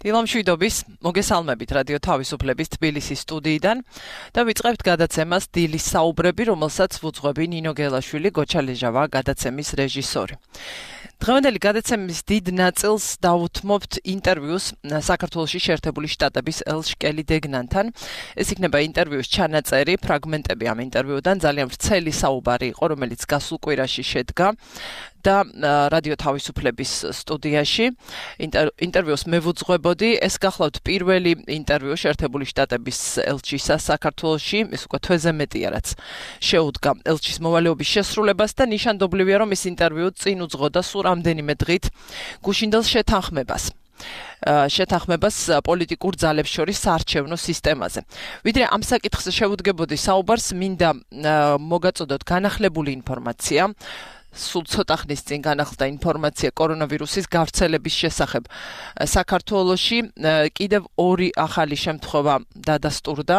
დილამშვიდობის, მოგესალმებით რადიო თავისუფლების თბილისის სტუდიიდან და ვიწყებთ გადაცემას დილის საუბრები, რომელსაც ვუძღვები ნინო გელაშვილი, გოჩა ლეჟავა, გადაცემის რეჟისორი. დღევანდელი გადაცემის დიდ ნაწილს დავუთმობთ ინტერვიუს საქართველოში შეერთებული შტატების ელშკელი დეგნანთან. ეს იქნება ინტერვიუს ჩანაწერი, ფრაგმენტები ამ ინტერვიუდან, ძალიან ვრცელი საუბარი იყო, რომელიც გასულ კვირაში შედგა და რადიო თავისუფლების სტუდიაში ინტერვიუს მე ვუძღვებოდი. ეს გახლავთ პირველი ინტერვიუ შეერთებული შტატების ელჩისა საქართველოში, ის უკვე თვეზე მეტია, რაც შეუდგა ელჩის მოვალეობის შესრულებას და ნიშანდობლივია, რომ ეს ინტერვიუ წინ უძღოდა სულ რამდენიმე დღით გუშინდელ შეთანხმებას პოლიტიკურ ძალებს შორის საარჩევნო სისტემაზე. ვიდრე ამ საკითხზე შევუდგებოდი საუბარს, მინდა მოგაწოდოთ განახლებული ინფორმაცია. სულ ცოტა ხნის წინ განახლდა ინფორმაცია კორონავირუსის გავრცელების შესახებ საქართველოში. კიდევ ორი ახალი შემთხვევა დადასტურდა.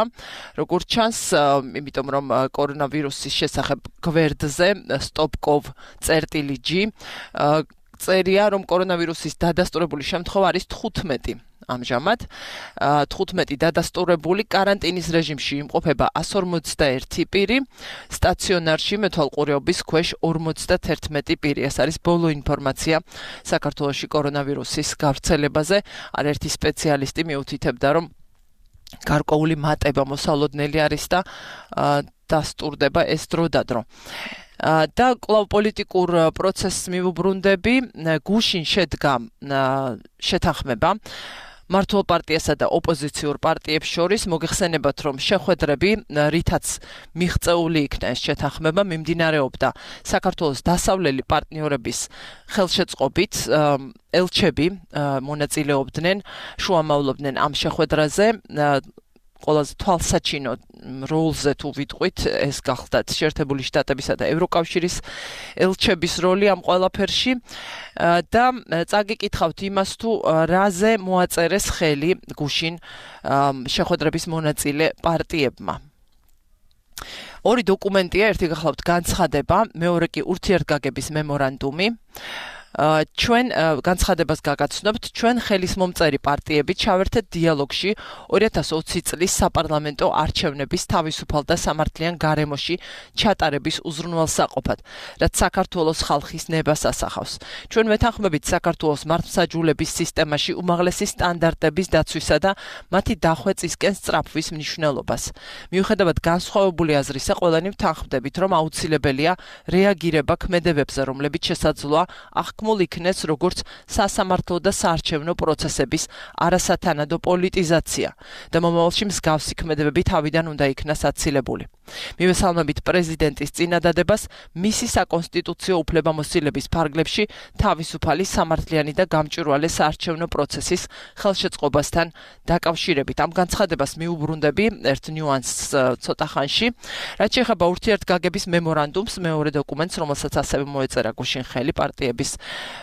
როგორც ჩანს, იმიტომ რომ კორონავირუსის შესახებ გვერდზე stop.gov.g წერია, რომ კორონავირუსის დადასტურებული შემთხვევა არის 15. ამჟამად 15 დადასტურებული, კარანტინის რეჟიმში იმყოფება 151 პირი, სტაციონარში მეთვალყურეობის ქვეშ 51 პირი. ეს არის ბოლო ინფორმაცია საქართველოში კორონავირუსის გავრცელებაზე. არაერთი სპეციალისტი მიუთითებდა, რომ გარკვეული მატება მოსალოდნელი არის და დასტურდება ეს დრო და დრო. და კვლავ პოლიტიკურ პროცესს მივუბრუნდები, გუშინ შედგა შეთანხმება მართლ პარტიასა და ოპოზიციურ პარტიებს შორის. მოგეხსენებათ, რომ შეხვედრები, რითაც მიღწეული იქნა ეს შეთანხმება, მიმდინარეობდა საქართველოს დასავლელი პარტნიორების ხელშეწყობით. ელჩები მონაწილეობდნენ, შუამავლობდნენ ამ შეხვედრაზე. ყველაზე თვალსაჩინო როლზე თუ ვიტყვით, ეს გახლდათ შეერთებული შტატებისა და ევროკავშირის ელჩების როლი ამ ყველაფერში და წაგიკითხავთ იმას, თუ რაზე მოაწერეს ხელი გუშინ შეხვედრების მონაწილე პარტიებმა. ორი დოკუმენტია, ერთი გახლავთ განცხადება, მეორე კი ურთიერთგაგების მემორანდუმი. ჩვენ განცხადებას გაგაცნობთ, ჩვენ ხელისმომწერი პარტიები ჩავერთეთ დიალოგში 2020 წლის საპარლამენტო არჩევნების თავისუფალ და სამართლიან გარემოში ჩატარების უზრუნველსაყოფად, რაც საქართველოს ხალხის ნებას ასახავს. ჩვენ ვეთანხმებით საქართველოს მართლმსაჯულების სისტემაში უმაღლესი სტანდარტების დაცვისა და მათი დახვეწისკენ სწრაფვის მნიშვნელობას. მიუხედავად განსხვავებული აზრისა, ყველანი ვთანხმდებით, რომ აუცილებელია რეაგირება ქმედებებზე, რომლებიც შესაძლოა იქნეს როგორც სასამართლო და საარჩევნო პროცესების არასათანადო პოლიტიზაცია და მომავალში მსგავსი ქმედებები თავიდან უნდა იქნას აცილებული. მივესალმებით პრეზიდენტის წინადადებას მისი საკონსტიტუციო უფლებამოსილების ფარგლებში თავისუფალი, სამართლიანი და გამჭვირვალე საარჩევნო პროცესის ხელშეწყობასთან დაკავშირებით. ამ განცხადებას მიუბრუნდები ერთ ნიუანსს ცოტა ხანში, რაც შეეხება ურთიერთგაგების მემორანდუმს, მეორე დოკუმენტს, რომელსაც ასევე მოეწერა გუშინ ხელი პარტიების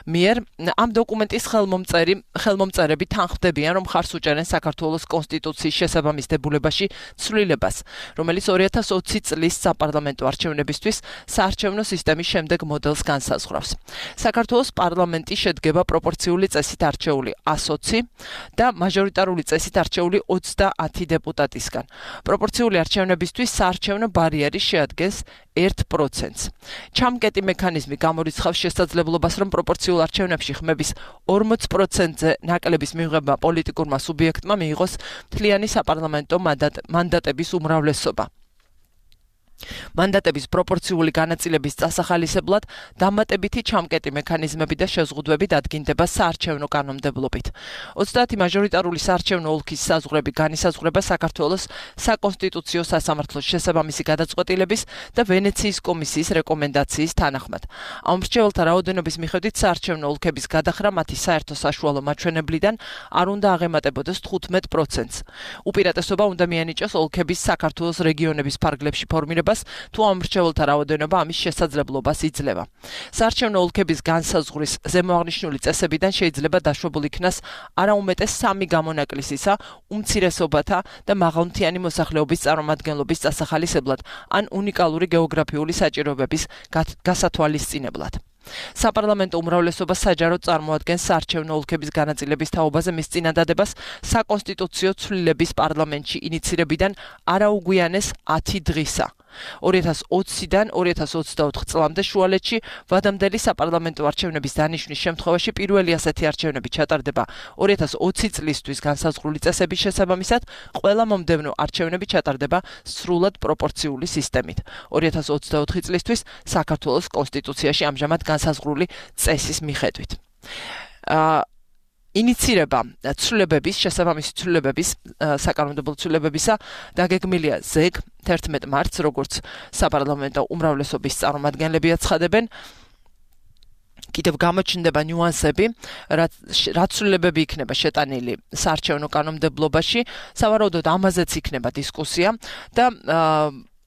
მიერ. ამ დოკუმენტის ხელმომწერები თანხმდებიან, რომ ხარს უჭერენ საქართველოს კონსტიტუციის შესაბამის დებულებაში ცვლილებას, რომელიც 2020 წლის საპარლამენტო არჩევნებისთვის საარჩევნო სისტემის შემდეგ მოდელს განსაზღვრავს. საქართველოს პარლამენტი შედგება პროპორციული წესით არჩეული 120 და მაჟორიტარული წესით არჩეული 30 დეპუტატისგან. პროპორციული არჩევნებისთვის საარჩევნო ბარიერი შეადგენს 1%. ჩამკეტი მექანიზმი გამორიცხავს შესაძლებლობას, რომ პროპორციულ არჩევნებში ხმების 40%-ზე ნაკლების მიღება პოლიტიკურმა სუბიექტმა მიიღოს მთლიანი საპარლამენტო მანდატების უმრავლესობა. მანდატების პროპორციული განაწილების წასახალისებლად დამატებითი ჩამკეტი მექანიზმები და შეზღუდვები დადგინდება საარჩევნო კანონმდებლობით. 30 მაჟორიტარული საარჩევნო ოლქის საზღვრები განისაზღვრება საქართველოს საკონსტიტუციო სასამართლოს შესაბამისი გადაწყვეტილების და ვენეციის კომისიის რეკომენდაციის თანახმად. ამ მრჩეველთა რაოდენობის მიხედვით საარჩევნო ოლქების გადახრა მათი საერთო საშუალო მაჩვენებლიდან არ უნდა აღემატებოდეს 15%-ს. უპირატესობა უნდა მიანიჭოს ოლქების საქართველოს რეგიონების ფარგლებში ფორმირება თუ ამ მრჩეველთა რაოდენობა ამის შესაძლებლობას იძლევა. საარჩევნო ოლქების განსაზღვრის ზემოაღნიშნული წესებიდან შეიძლება დაშვებულ იქნას არაუმეტეს 3 გამონაკლისისა, უმცირესობათა და მაღალმთიანი მოსახლეობის წარმომადგენლობის წასახალისებლად ან უნიკალური გეოგრაფიული საჭიროებების გასათვალისწინებლად. საპარლამენტო უმრავლესობა საჯაროდ წარმოადგენს საარჩევნო ოლქების განაწილების თაობაზე მის წინადადებას საკონსტიტუციო ცვლილების პარლამენტში ინიცირებიდან არაუგვიანეს 10 დღისა. 2020-დან 2024 წლამდე შუალედში ვადამდელი საპარლამენტო არჩევნების დანიშვნის შემთხვევაში პირველი ასეთი არჩევნები ჩატარდება 2020 წლისთვის განსაზღვრული წესების შესაბამისად, ყველა მომდევნო არჩევნები ჩატარდება სრულად პროპორციული სისტემით. 2024 წლისთვის საქართველოს კონსტიტუციაში ამჟამად განსაზღვრული წესის მიხედვით. ინიცირება ცვლილებების, შესაბამისი ცვლილებების, საკანონმდებლო ცვლილებებისა დაგეგმილია ზეგ 11 მარტს, როგორც საპარლამენტო უმრავლესობის წარმომადგენლები აცხადებენ. კიდევ გამოჩნდება ნიუანსები, რაც ცვლილებები იქნება შეტანილი საარჩევნო კანონმდებლობაში, სავარაუდოდ ამაზეც იქნება დისკუსია და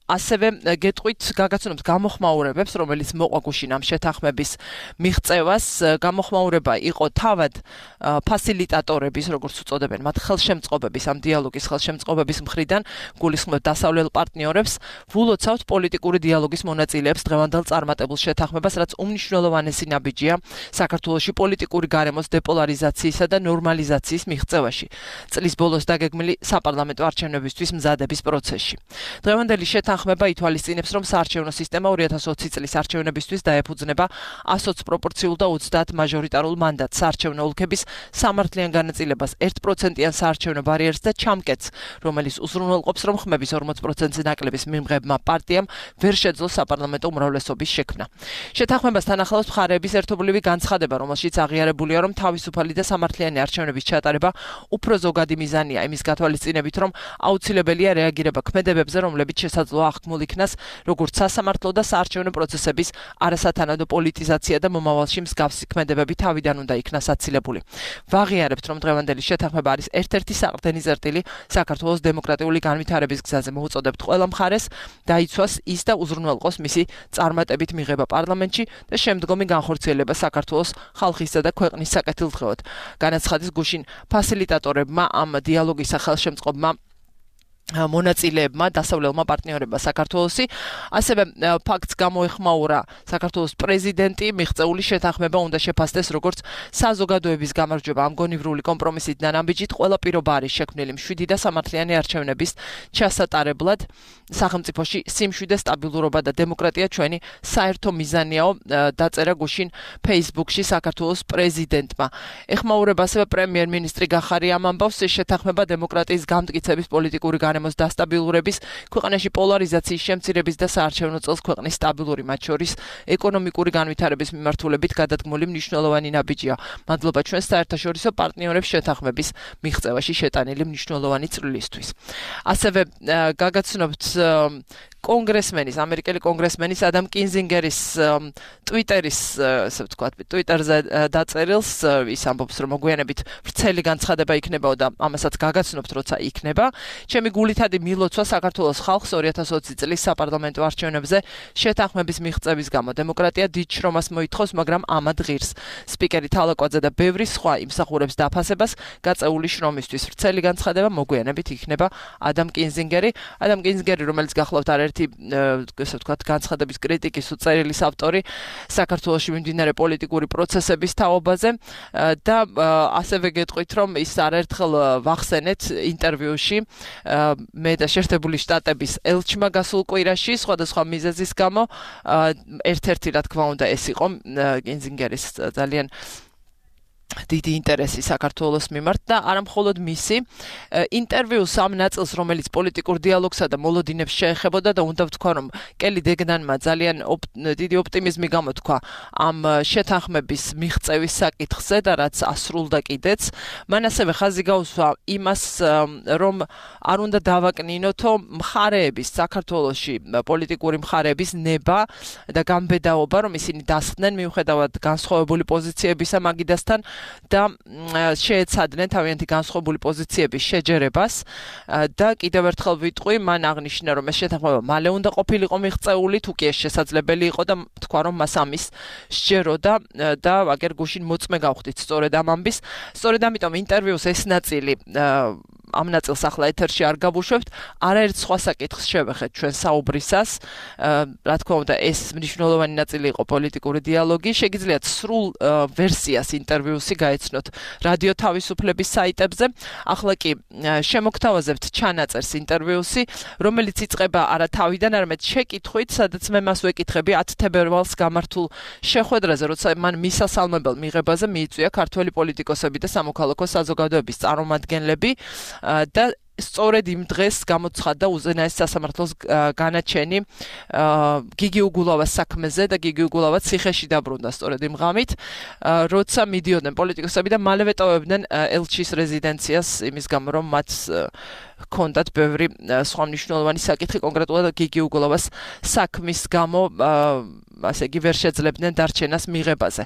ასევე გეტყვით გაგაცნობთ გამოხმაურებებს, რომელიც მოყვა გუშინ ამ შეთანხმების მიღწევას. გამოხმაურება იყო თავად ფასილიტატორების, როგორც უწოდებენ, მათ ხელშემწყობების, ამ დიალოგის ხელშემწყობების მხრიდან, გულისხმობ დასავლელ პარტნიორებს, ვულოცავთ პოლიტიკური დიალოგის მონაწილეებს დღევანდელ წარმატებულ შეთანხმებას, რაც უმნიშვნელოვანესი ნაბიჯია საქართველოში პოლიტიკური გარემოს დეპოლარიზაციისა და ნორმალიზაციის მიღწევაში. წლის ბოლოს დაგეგმილი საპარლამენტო არჩევნებისთვის მზადების პროცესში. დღევანდელი შეთანხმება ითვალისწინებს, რომ საარჩევნო სისტემა 2020 წლის არჩევნებისთვის დაეფუძნება 120 პროპორციულ და 30 მაჟორიტარულ მანდატს, საარჩევნო ოლქების სამართლიან განაწილებას, 1%-იან საარჩევნო ბარიერს და ჩამკეტს, რომელიც უზრუნველყოფს, რომ ხმების 40%-ზე ნაკლების მიმღებმა პარტიამ ვერ შეძლო საპარლამენტო უმრავლესობის შექმნა. შეთანხმებასთან ახლავს მხარეების ერთობლივი განცხადება, რომელშიც აღიარებულია, რომ თავისუფალი და სამართლიანი არჩევნების ჩატარება უფრო ზოგადი მიზანია, იმის გათვალისწინებით, რომ აუცილებელია რეაგირება ქმედებებზე, რომლებიც შესაძლოა აღქმულ იქნას, როგორც სასამართლო და საარჩევნო პროცესების არასათანადო პოლიტიზაცია და მომავალში მსგავსი ქმედებები თავიდან უნდა იქნას აცილებული. ვაღიარებთ, რომ დღევანდელი შეთანხმება არის ერთ-ერთი საყრდენი წერტილი საქართველოს დემოკრატიული განვითარების გზაზე. მოუწოდებთ ყველა მხარეს დაიცვას ის და უზრუნველყოს მისი წარმატებით მიღება პარლამენტში და შემდგომი განხორციელება საქართველოს ხალხისა და ქვეყნის საკეთილდღეოდ. განაცხადეს გუშინ ფასილიტატორებმა, ამ დიალოგის სახელშემწყობმა მონაწილეებმა, დასავლელმა პარტნიორებმა საქართველოსი. ასევე ფაქტს გამოეხმაურა საქართველოს პრეზიდენტი, მიღწეული შეთანხმება უნდა შეფასდეს როგორც საზოგადოების გამარჯვება ამ გონივრული კომპრომისით და ნაბიჯით. ყველა პირობა არის შექმნილი მშვიდი და სამართლიანი არჩევნების ჩასატარებლად. სახელმწიფოში სიმშვიდე, სტაბილურობა და დემოკრატია ჩვენი საერთო მიზანიაო, დაწერა გუშინ Facebook-ში საქართველოს პრეზიდენტმა. ეხმაურება ასევე პრემიერ-მინისტრი გახარია ამ ამბავს, შეთანხმება დემოკრატიის გამტკიცების პოლიტიკური გარემოს დასტაბილურების, ქვეყანაში პოლარიზაციის შემცირების და საარჩევნო წელს ქვეყნის სტაბილური, მათ შორის ეკონომიკური განვითარების მიმართულებით გადადგმული მნიშვნელოვანი ნაბიჯია. მადლობა ჩვენს საერთაშორისო პარტნიორებს შეთანხმების მიღწევაში შეტანილი მნიშვნელოვანი წვლილისთვის. ასევე გაგაცნობთ კონგრესმენის, ამერიკელი კონგრესმენის ადამ კინზინგერის ტვიტერის, ასე ვთქვათ, ტვიტერზე დაწერილს, ის ამბობს, რომ მოგვიანებით ვრცელი განცხადება იქნებაო და ამასაც გაგაცნობთ, როცა იქნება. ჩემი გულითადი მილოცვა საქართველოს ხალხს 2020 წლის საპარლამენტო არჩევნებზე შეთანხმების მიღწევის გამო. დემოკრატია დიდ შრომას მოითხოვს, მაგრამ ამად ღირს. სპიკერი თალაკვაძე და ბევრი სხვა იმსახურებს დაფასებას გაწეული შრომისთვის. ვრცელი განცხადება მოგვიანებით იქნება ადამ კინზინგერი, რომელიც გახლავთ არაერთი ესე ვთქვათ, განცხადების კრიტიკის უწერილის ავტორი საქართველოში მიმდინარე პოლიტიკური პროცესების თაობაზე და ასევე გეტყვით, რომ ის არაერთხელ ვახსენეთ ინტერვიუში მე და შეერთებული შტატების ელჩმა გასულ კვირაში სხვადასხვა მიზეზის გამო, ერთ-ერთი რა თქმა უნდა ეს იყო კინზინგერის ძალიან დიდი ინტერესი საქართველოს მიმართ და არა მხოლოდ მისი ინტერვიუს ამ ნაწილს, რომელიც პოლიტიკურ დიალოგსა და მოლოდინებს შეეხებოდა და უნდა ვთქვა, რომ კელი დეგნანმა ძალიან დიდი ოპტიმიზმი გამოთქვა ამ შეთანხმების მიღწევის საკითხზე და რაც ასრულდა კიდეც. მან ასევე ხაზი გაუსვა იმას, რომ არ უნდა დავაკნინოთო მხარეების, საქართველოში პოლიტიკური მხარეების ნება და გამბედაობა, რომ ისინი დასხდნენ მიუხედავად განსხვავებული პოზიციებისა მაგიდასთან და შეეცადნენ თავიანთი განსხვავებული პოზიციების შეჯერებას და კიდევ ერთხელ ვიტყვი, მან აღნიშნა, რომ ეს შეთანხმება მალე უნდა ყოფილიყო მიღწეული, თუ კი ეს შესაძლებელი იყო და თქვა, რომ მას ამის სჯეროდა და აგერ გუშინ მოწმე გავხდით სწორედ ამ ამბის. სწორედ ამიტომ ინტერვიუს ეს ნაწილი ამ ნაწილს ახლა ეთერში არ გავუშვებთ, არაერთ სხვა საკითხს შევეხეთ ჩვენ საუბრისას. Რა თქმა უნდა, ეს მნიშვნელოვანი ნაწილი იყო პოლიტიკური დიალოგი. შეგიძლიათ სრულ ვერსიას ინტერვიუსი გაეცნოთ რადიო თავისუფლების საიტებზე. ახლა კი შემოგთავაზებთ ჩანაწერს ინტერვიუსი, რომელიც იწყება არა თავიდან, არამედ შეკითხვით, სადაც მე მას ვეკითხები 10 თებერვალს გამართულ შეხვედრაზე, როცა მან მისასალმებელ მიღებაზე მიიწვია ქართველი პოლიტიკოსები და სამოქალაქო საზოგადოების წარმომადგენლები და სწორედ იმ დღეს გამოცხადდა უზენაეს სასამართლოს განაჩენი გიგი უგულავას საქმეზე და გიგი უგულავა ციხეში დაბრუნდა სწორედ იმ ღამით, როცა მიდიოდნენ პოლიტიკოსები და მალევე ტოვებდნენ ელჩის რეზიდენციას იმის გამო, რომ მათ ჰქონდათ ბევრი სხვა მნიშვნელოვანი საკითხი, კონკრეტულად გიგი უგულავას საქმის გამო ასე იგი ვერ შეძლებდნენ დარჩენას მიღებაზე.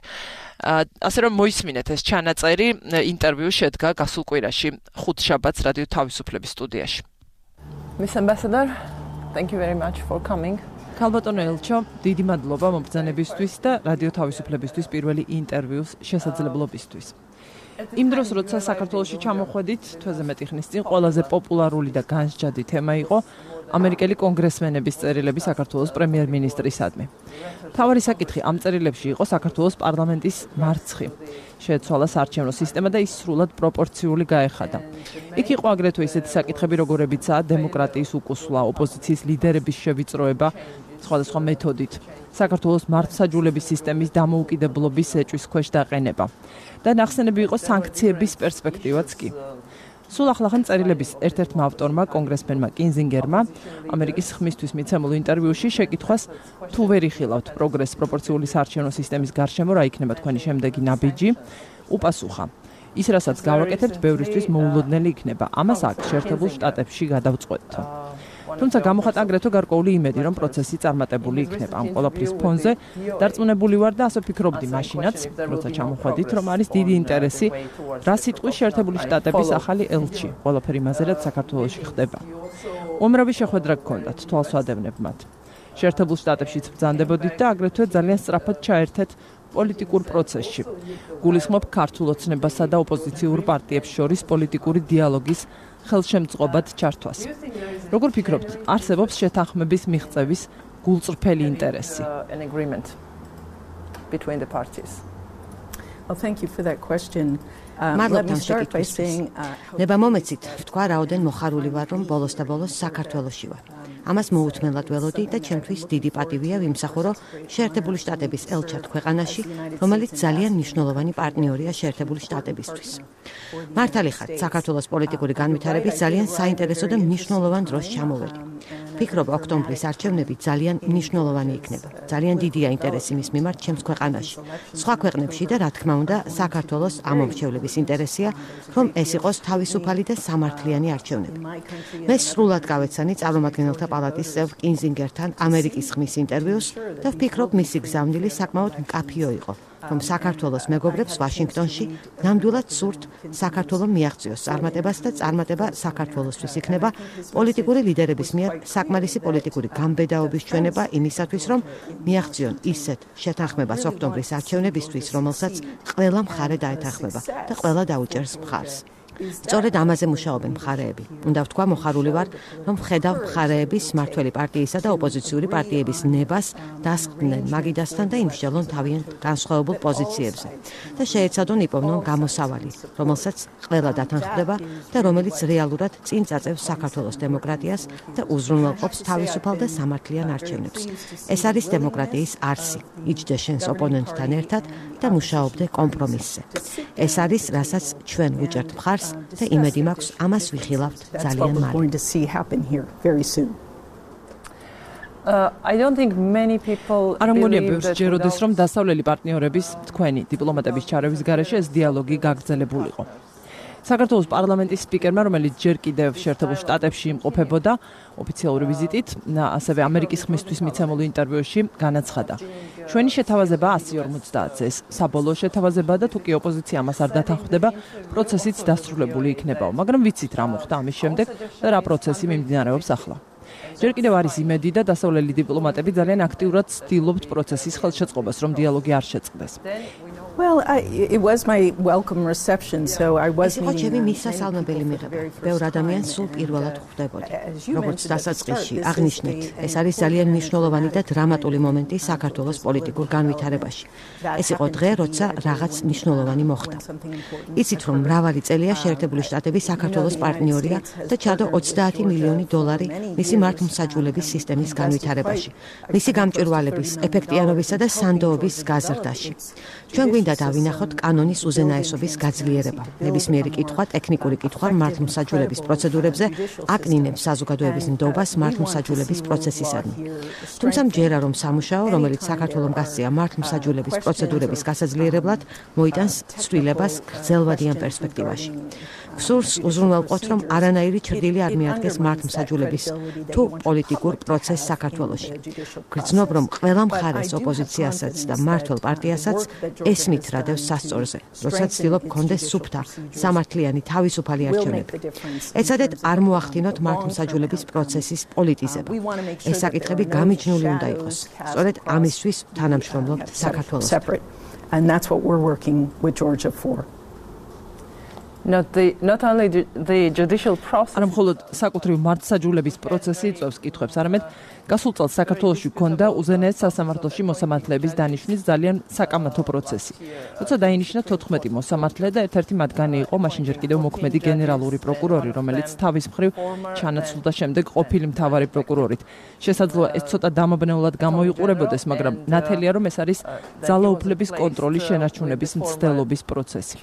ასე რომ მოისმინეთ ეს ჩანაწერი, ინტერვიუ შედგა გასულ კვირაში ხუთშაბათს რადიო თავისუფლების სტუდიაში. Miss Ambassador, thank you very much for coming. ქალბატონო ელჩო, დიდი მადლობა მომბრძანებისთვის და რადიო თავისუფლებისთვის პირველი ინტერვიუს შესაძლებლობისთვის. იმ დროს, როცა საქართველოში ჩამოხვედით, თვეზე მეტი ხნის წინ ყველაზე პოპულარული და განსჯადი თემა იყო ამერიკელი კონგრესმენების წერილები საქართველოს პრემიერ-მინისტრისადმი. მთავარი საკითხი ამ წერილებში იყო საქართველოს პარლამენტის მარცხი. შეეცვალა საარჩევნო სისტემა და ის სრულად პროპორციული გაეხადა. იქ იყო აგრეთვე ისეთი საკითხები, როგორებიცაა დემოკრატიის უკუსვლა, ოპოზიციის ლიდერების შევიწროება სხვადასხვა მეთოდით, საქართველოს მართლმსაჯულების სისტემის დამოუკიდებლობის ეჭვის ქვეშ დაყენება და ნახსენები იყო სანქციების პერსპექტივაც კი. სულ ახლახან წერილების ერთ-ერთმა ავტორმა, კონგრესმენმა კინზინგერმა, ამერიკის ხმისთვის მიცემულ ინტერვიუში შეკითხვას, თუ ვერ იხილავთ პროგრესს პროპორციული საარჩევნო სისტემის გარშემო, რა იქნება თქვენი შემდეგი ნაბიჯი, უპასუხა. ის, რასაც გავაკეთებთ, ბევრისთვის მოულოდნელი იქნება. ამას აქ, შეერთებულ შტატებში გადავწყვეტთ. თუმცა გამოხატა აგრეთვე გარკვეული იმედი, რომ პროცესი წარმატებული იქნება. ამ ყველაფრის ფონზე დარწმუნებული ვარ და ასე ვფიქრობდი მაშინაც, როცა ჩამოხვედით, რომ არის დიდი ინტერესი, რა სიტყვის შეერთებული შტატების ახალი ელჩი, ყველაფერი იმაზე, რაც საქართველოში ხდება. უამრავი შეხვედრა გქონდათ, თვალს ვადევნებ მათ. შეერთებულ შტატებშიც ბრძანდებოდით და აგრეთვე ძალიან სწრაფად ჩაერთეთ პოლიტიკურ პროცესში. გულისხმობ ქართულ ოცნებასა და ოპოზიციურ პარტიებს შორის პოლიტიკური დიალოგის ხელშემწყობად ჩართვას. როგორ ფიქრობთ, არსებობს შეთანხმების მიღწევის გულწრფელი ინტერესი? მადლობთ ამ შეკითხვისთვის. ნება მომეცით, ვთქვა რაოდენ მოხარული ვარ, რომ ბოლოს და ბოლოს საქართველოში ვარ. ამას მოუთმენლად ველოდი და ჩემთვის დიდი პატივია ვიმსახურო შეერთებული შტატების ელჩად ქვეყანაში, რომელიც ძალიან მნიშვნელოვანი პარტნიორია შეერთებული შტატებისთვის. მართალი ხართ, საქართველოს პოლიტიკური განვითარების ძალიან საინტერესო და მნიშვნელოვან დროს ჩამოვედი. ვფიქრობ, ოქტომბრის არჩევნები ძალიან მნიშვნელოვანი იქნება. ძალიან დიდია ინტერესი მის მიმართ ჩემს ქვეყანაში. სხვა ქვეყნებში და რა თქმა უნდა, საქართველოს ამომრჩევლების ინტერესია, რომ ეს იყოს თავისუფალი და სამართლიანი არჩევნები. მე სრულად გავეცანი წარმომადგენელთა პალატის წევრ კინზინგერთან ამერიკის ხმის ინტერვიუს და ვფიქრობ, მისი გზავნილი საკმაოდ მკაფიო იყო, რომ საქართველოს მეგობრებს ვაშინგტონში ნამდვილად სურთ საქართველოს მიაღწიოს წარმატებას და წარმატება საქართველოსთვის იქნება პოლიტიკური ლიდერების მიერ საკმარისი პოლიტიკური გამბედაობის ჩვენება იმისათვის, რომ მიაღწიონ ისეთ შეთანხმებას ოქტომბრის არჩევნებისთვის, რომელსაც ყველა მხარე დაეთანხმება და ყველა დაუჭერს მხარს. სწორედ ამაზე მუშაობენ მხარეები. უნდა ვთქვა, მოხარული ვარ, რომ ვხედავ მხარეების მმართველი პარტიისა და ოპოზიციური პარტიების ნებას დასხდნენ მაგიდასთან და იმსჯელონ თავიანთ განსხვავებულ პოზიციებზე და შეეცადონ იპოვნონ გამოსავალი, რომელსაც ყველა დათანხმდება და რომელიც რეალურად წინ წაწევს საქართველოს დემოკრატიას და უზრუნველყოფს თავისუფალ და სამართლიან არჩევნებს. ეს არის დემოკრატიის არსი. იჯდე შენს ოპონენტთან ერთად და მუშაობდე კომპრომისზე. ეს არის, რასაც ჩვენ ვუჭერთ მხარს და იმედი მაქვს ამას ვიხილავთ ძალიან მალე. არ ამონია ბევრს ჯეროდეს, რომ დასავლელი პარტნიორების თქვენი დიპლომატების ჩარევის გარეშე ეს დიალოგი გაგრძელებულიყო. საქართველოს პარლამენტის სპიკერმა, რომელიც ჯერ კიდევ შეერთებულ შტატებში იმყოფებოდა ოფიციალური ვიზიტით, ასევე ამერიკის ხმისთვის მიცემულ ინტერვიუში განაცხადა. ჩვენი შეთავაზება 150-ზე, ეს საბოლოო შეთავაზებაა და თუ კი ოპოზიცია მას არ დათანხმდება, პროცესიც დასრულებული იქნებაო. მაგრამ ვიცით რა მოხდა ამის შემდეგ და რა პროცესი მიმდინარეობს ახლა. ჯერ კიდევ არის იმედი და დასავლელი დიპლომატები ძალიან აქტიურად ცდილობთ პროცესის ხელშეწყობას, რომ დიალოგი არ შეწყდეს. Well, it was my welcome reception, so I was meeting. ჩემი მისასალმებელი მიღება. ბევრ ადამიანს სულ პირველად ხვდებოდი. როგორც დასაწყისში აღნიშნეთ, ეს არის ძალიან მნიშვნელოვანი და დრამატული მომენტი საქართველოს პოლიტიკურ განვითარებაში. ეს იყო დღე, როცა რაღაც მნიშვნელოვანი მოხდა. იცით, რომ მრავალი წელია შეერთებული შტატები საქართველოს პარტნიორია და ჩადო $30 მილიონი მისი მართლმსაჯულების სისტემის განვითარებაში, მისი გამჭვირვალების, ეფექტიანობისა და სანდოობის გაზრდაში. ჩვენ გვინდა დავინახოთ კანონის უზენაესობის გაძლიერება. ნებისმიერი კითხვა, ტექნიკური კითხვა მართლმსაჯულების პროცედურებზე აკნინებს საზოგადოების ნდობას მართლმსაჯულების პროცესისადმი. თუმცა მჯერა რომ სამუშაო, რომელიც საქართველომ გასწია მართლმსაჯულების პროცედურების გასაძლიერებლად, მოიტანს ცვლილებას გრძელვადიან პერსპექტივაში. სურს უზრუნველყოთ, რომ არანაირი ჩრდილი არ მიადგეს მართლმსაჯულების თუ პოლიტიკურ პროცესს საქართველოში. გრძნობ, რომ ყველა მხარეს ოპოზიციასაც და მმართველ პარტიასაც ესმით რადევს სასწორზე, როდესაც ცდილობ გქონდეს სუფთა, სამართლიანი, თავისუფალი არჩევნები. ეცადეთ არ მოახდინოთ მართლმსაჯულების პროცესის პოლიტიზება. ეს საკითხები გამიჯნული უნდა იყოს. სწორედ ამისთვის თანამშრომლობთ საქართველოს. And that's what we're working with Georgia for. Not only the judicial process. არ მხოლოდ საკუთრივ მართლმსაჯულების პროცესი იწვევს კითხვებს, არამედ გასულ წელს საქართველოში ჰქონდა უზენაეს სასამართლოში მოსამართლეების დანიშვნის ძალიან საკამათო პროცესი. როცა დაინიშნა 14 მოსამართლე და ერთ-ერთი მათგანი იყო მაშინ ჯერ კიდევ მოქმედი გენერალური პროკურორი, რომელიც თავის მხრივ ჩანაცვლდა შემდეგ ყოფილი მთავარი პროკურორით. შესაძლოა ეს ცოტა დამაბნეულად გამოიყურებოდეს, მაგრამ ნათელია რომ ეს არის ძალაუფლების კონტროლის შენარჩუნების მცდელობის პროცესი.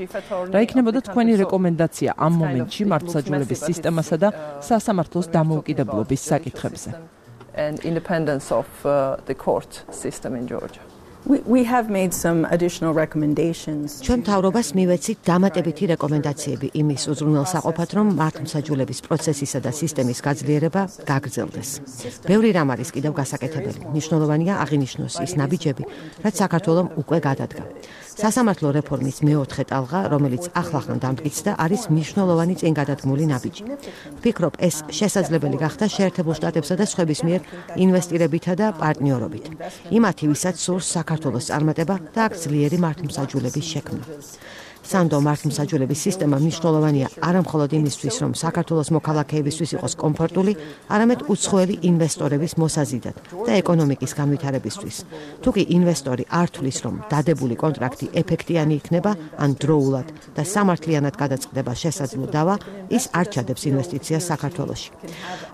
რა იქნებოდა თქვენი რეკომენდაცია ამ მომენტში მართლმსაჯულების სისტემასა და სასამართლოს დამოუკიდებლობის საკითხებზე? And independence of the court system in Georgia. We have made some additional recommendations. ჩვენ მთავრობას მივეცით დამატებითი რეკომენდაციები იმის უზრუნველსაყოფად, რომ მართლმსაჯულების პროცესისა და სისტემის გაძლიერება გაგრძელდეს. ბევრი რამ არის კიდევ გასაკეთებელი. მნიშვნელოვანია აღინიშნოს ის ნაბიჯები, რაც საქართველომ უკვე გადადგა. სასამართლო რეფორმის მეოთხე ტალღა, რომელიც ახლახან დამტკიცდა, არის მნიშვნელოვანი წინგადადგმული ნაბიჯი. ვფიქრობ, ეს შესაძლებელი გახდა შეერთებულ შტატებსა და სხვების მიერ ინვესტირებითა და პარტნიორობით. იმათი, ვისაც სურს საქართველოს წარმატება და აქ ძლიერი მართლმსაჯულების შექმნა. სანდო მართლმსაჯულების სისტემა მნიშვნელოვანია არამხოლოდ იმისთვის, რომ საქართველოს მოქალაქეებისთვის იყოს კომფორტული, არამედ უცხოელი ინვესტორების მოსაზიდად და ეკონომიკის განვითარებისთვის. თუკი ინვესტორი არ თვლის, რომ დადებული კონტრაქტი ეფექტიანი იქნება, ან დროულად და სამართლიანად გადაწყდება შესაძლო დავა, ის არ ჩადებს ინვესტიციას საქართველოში.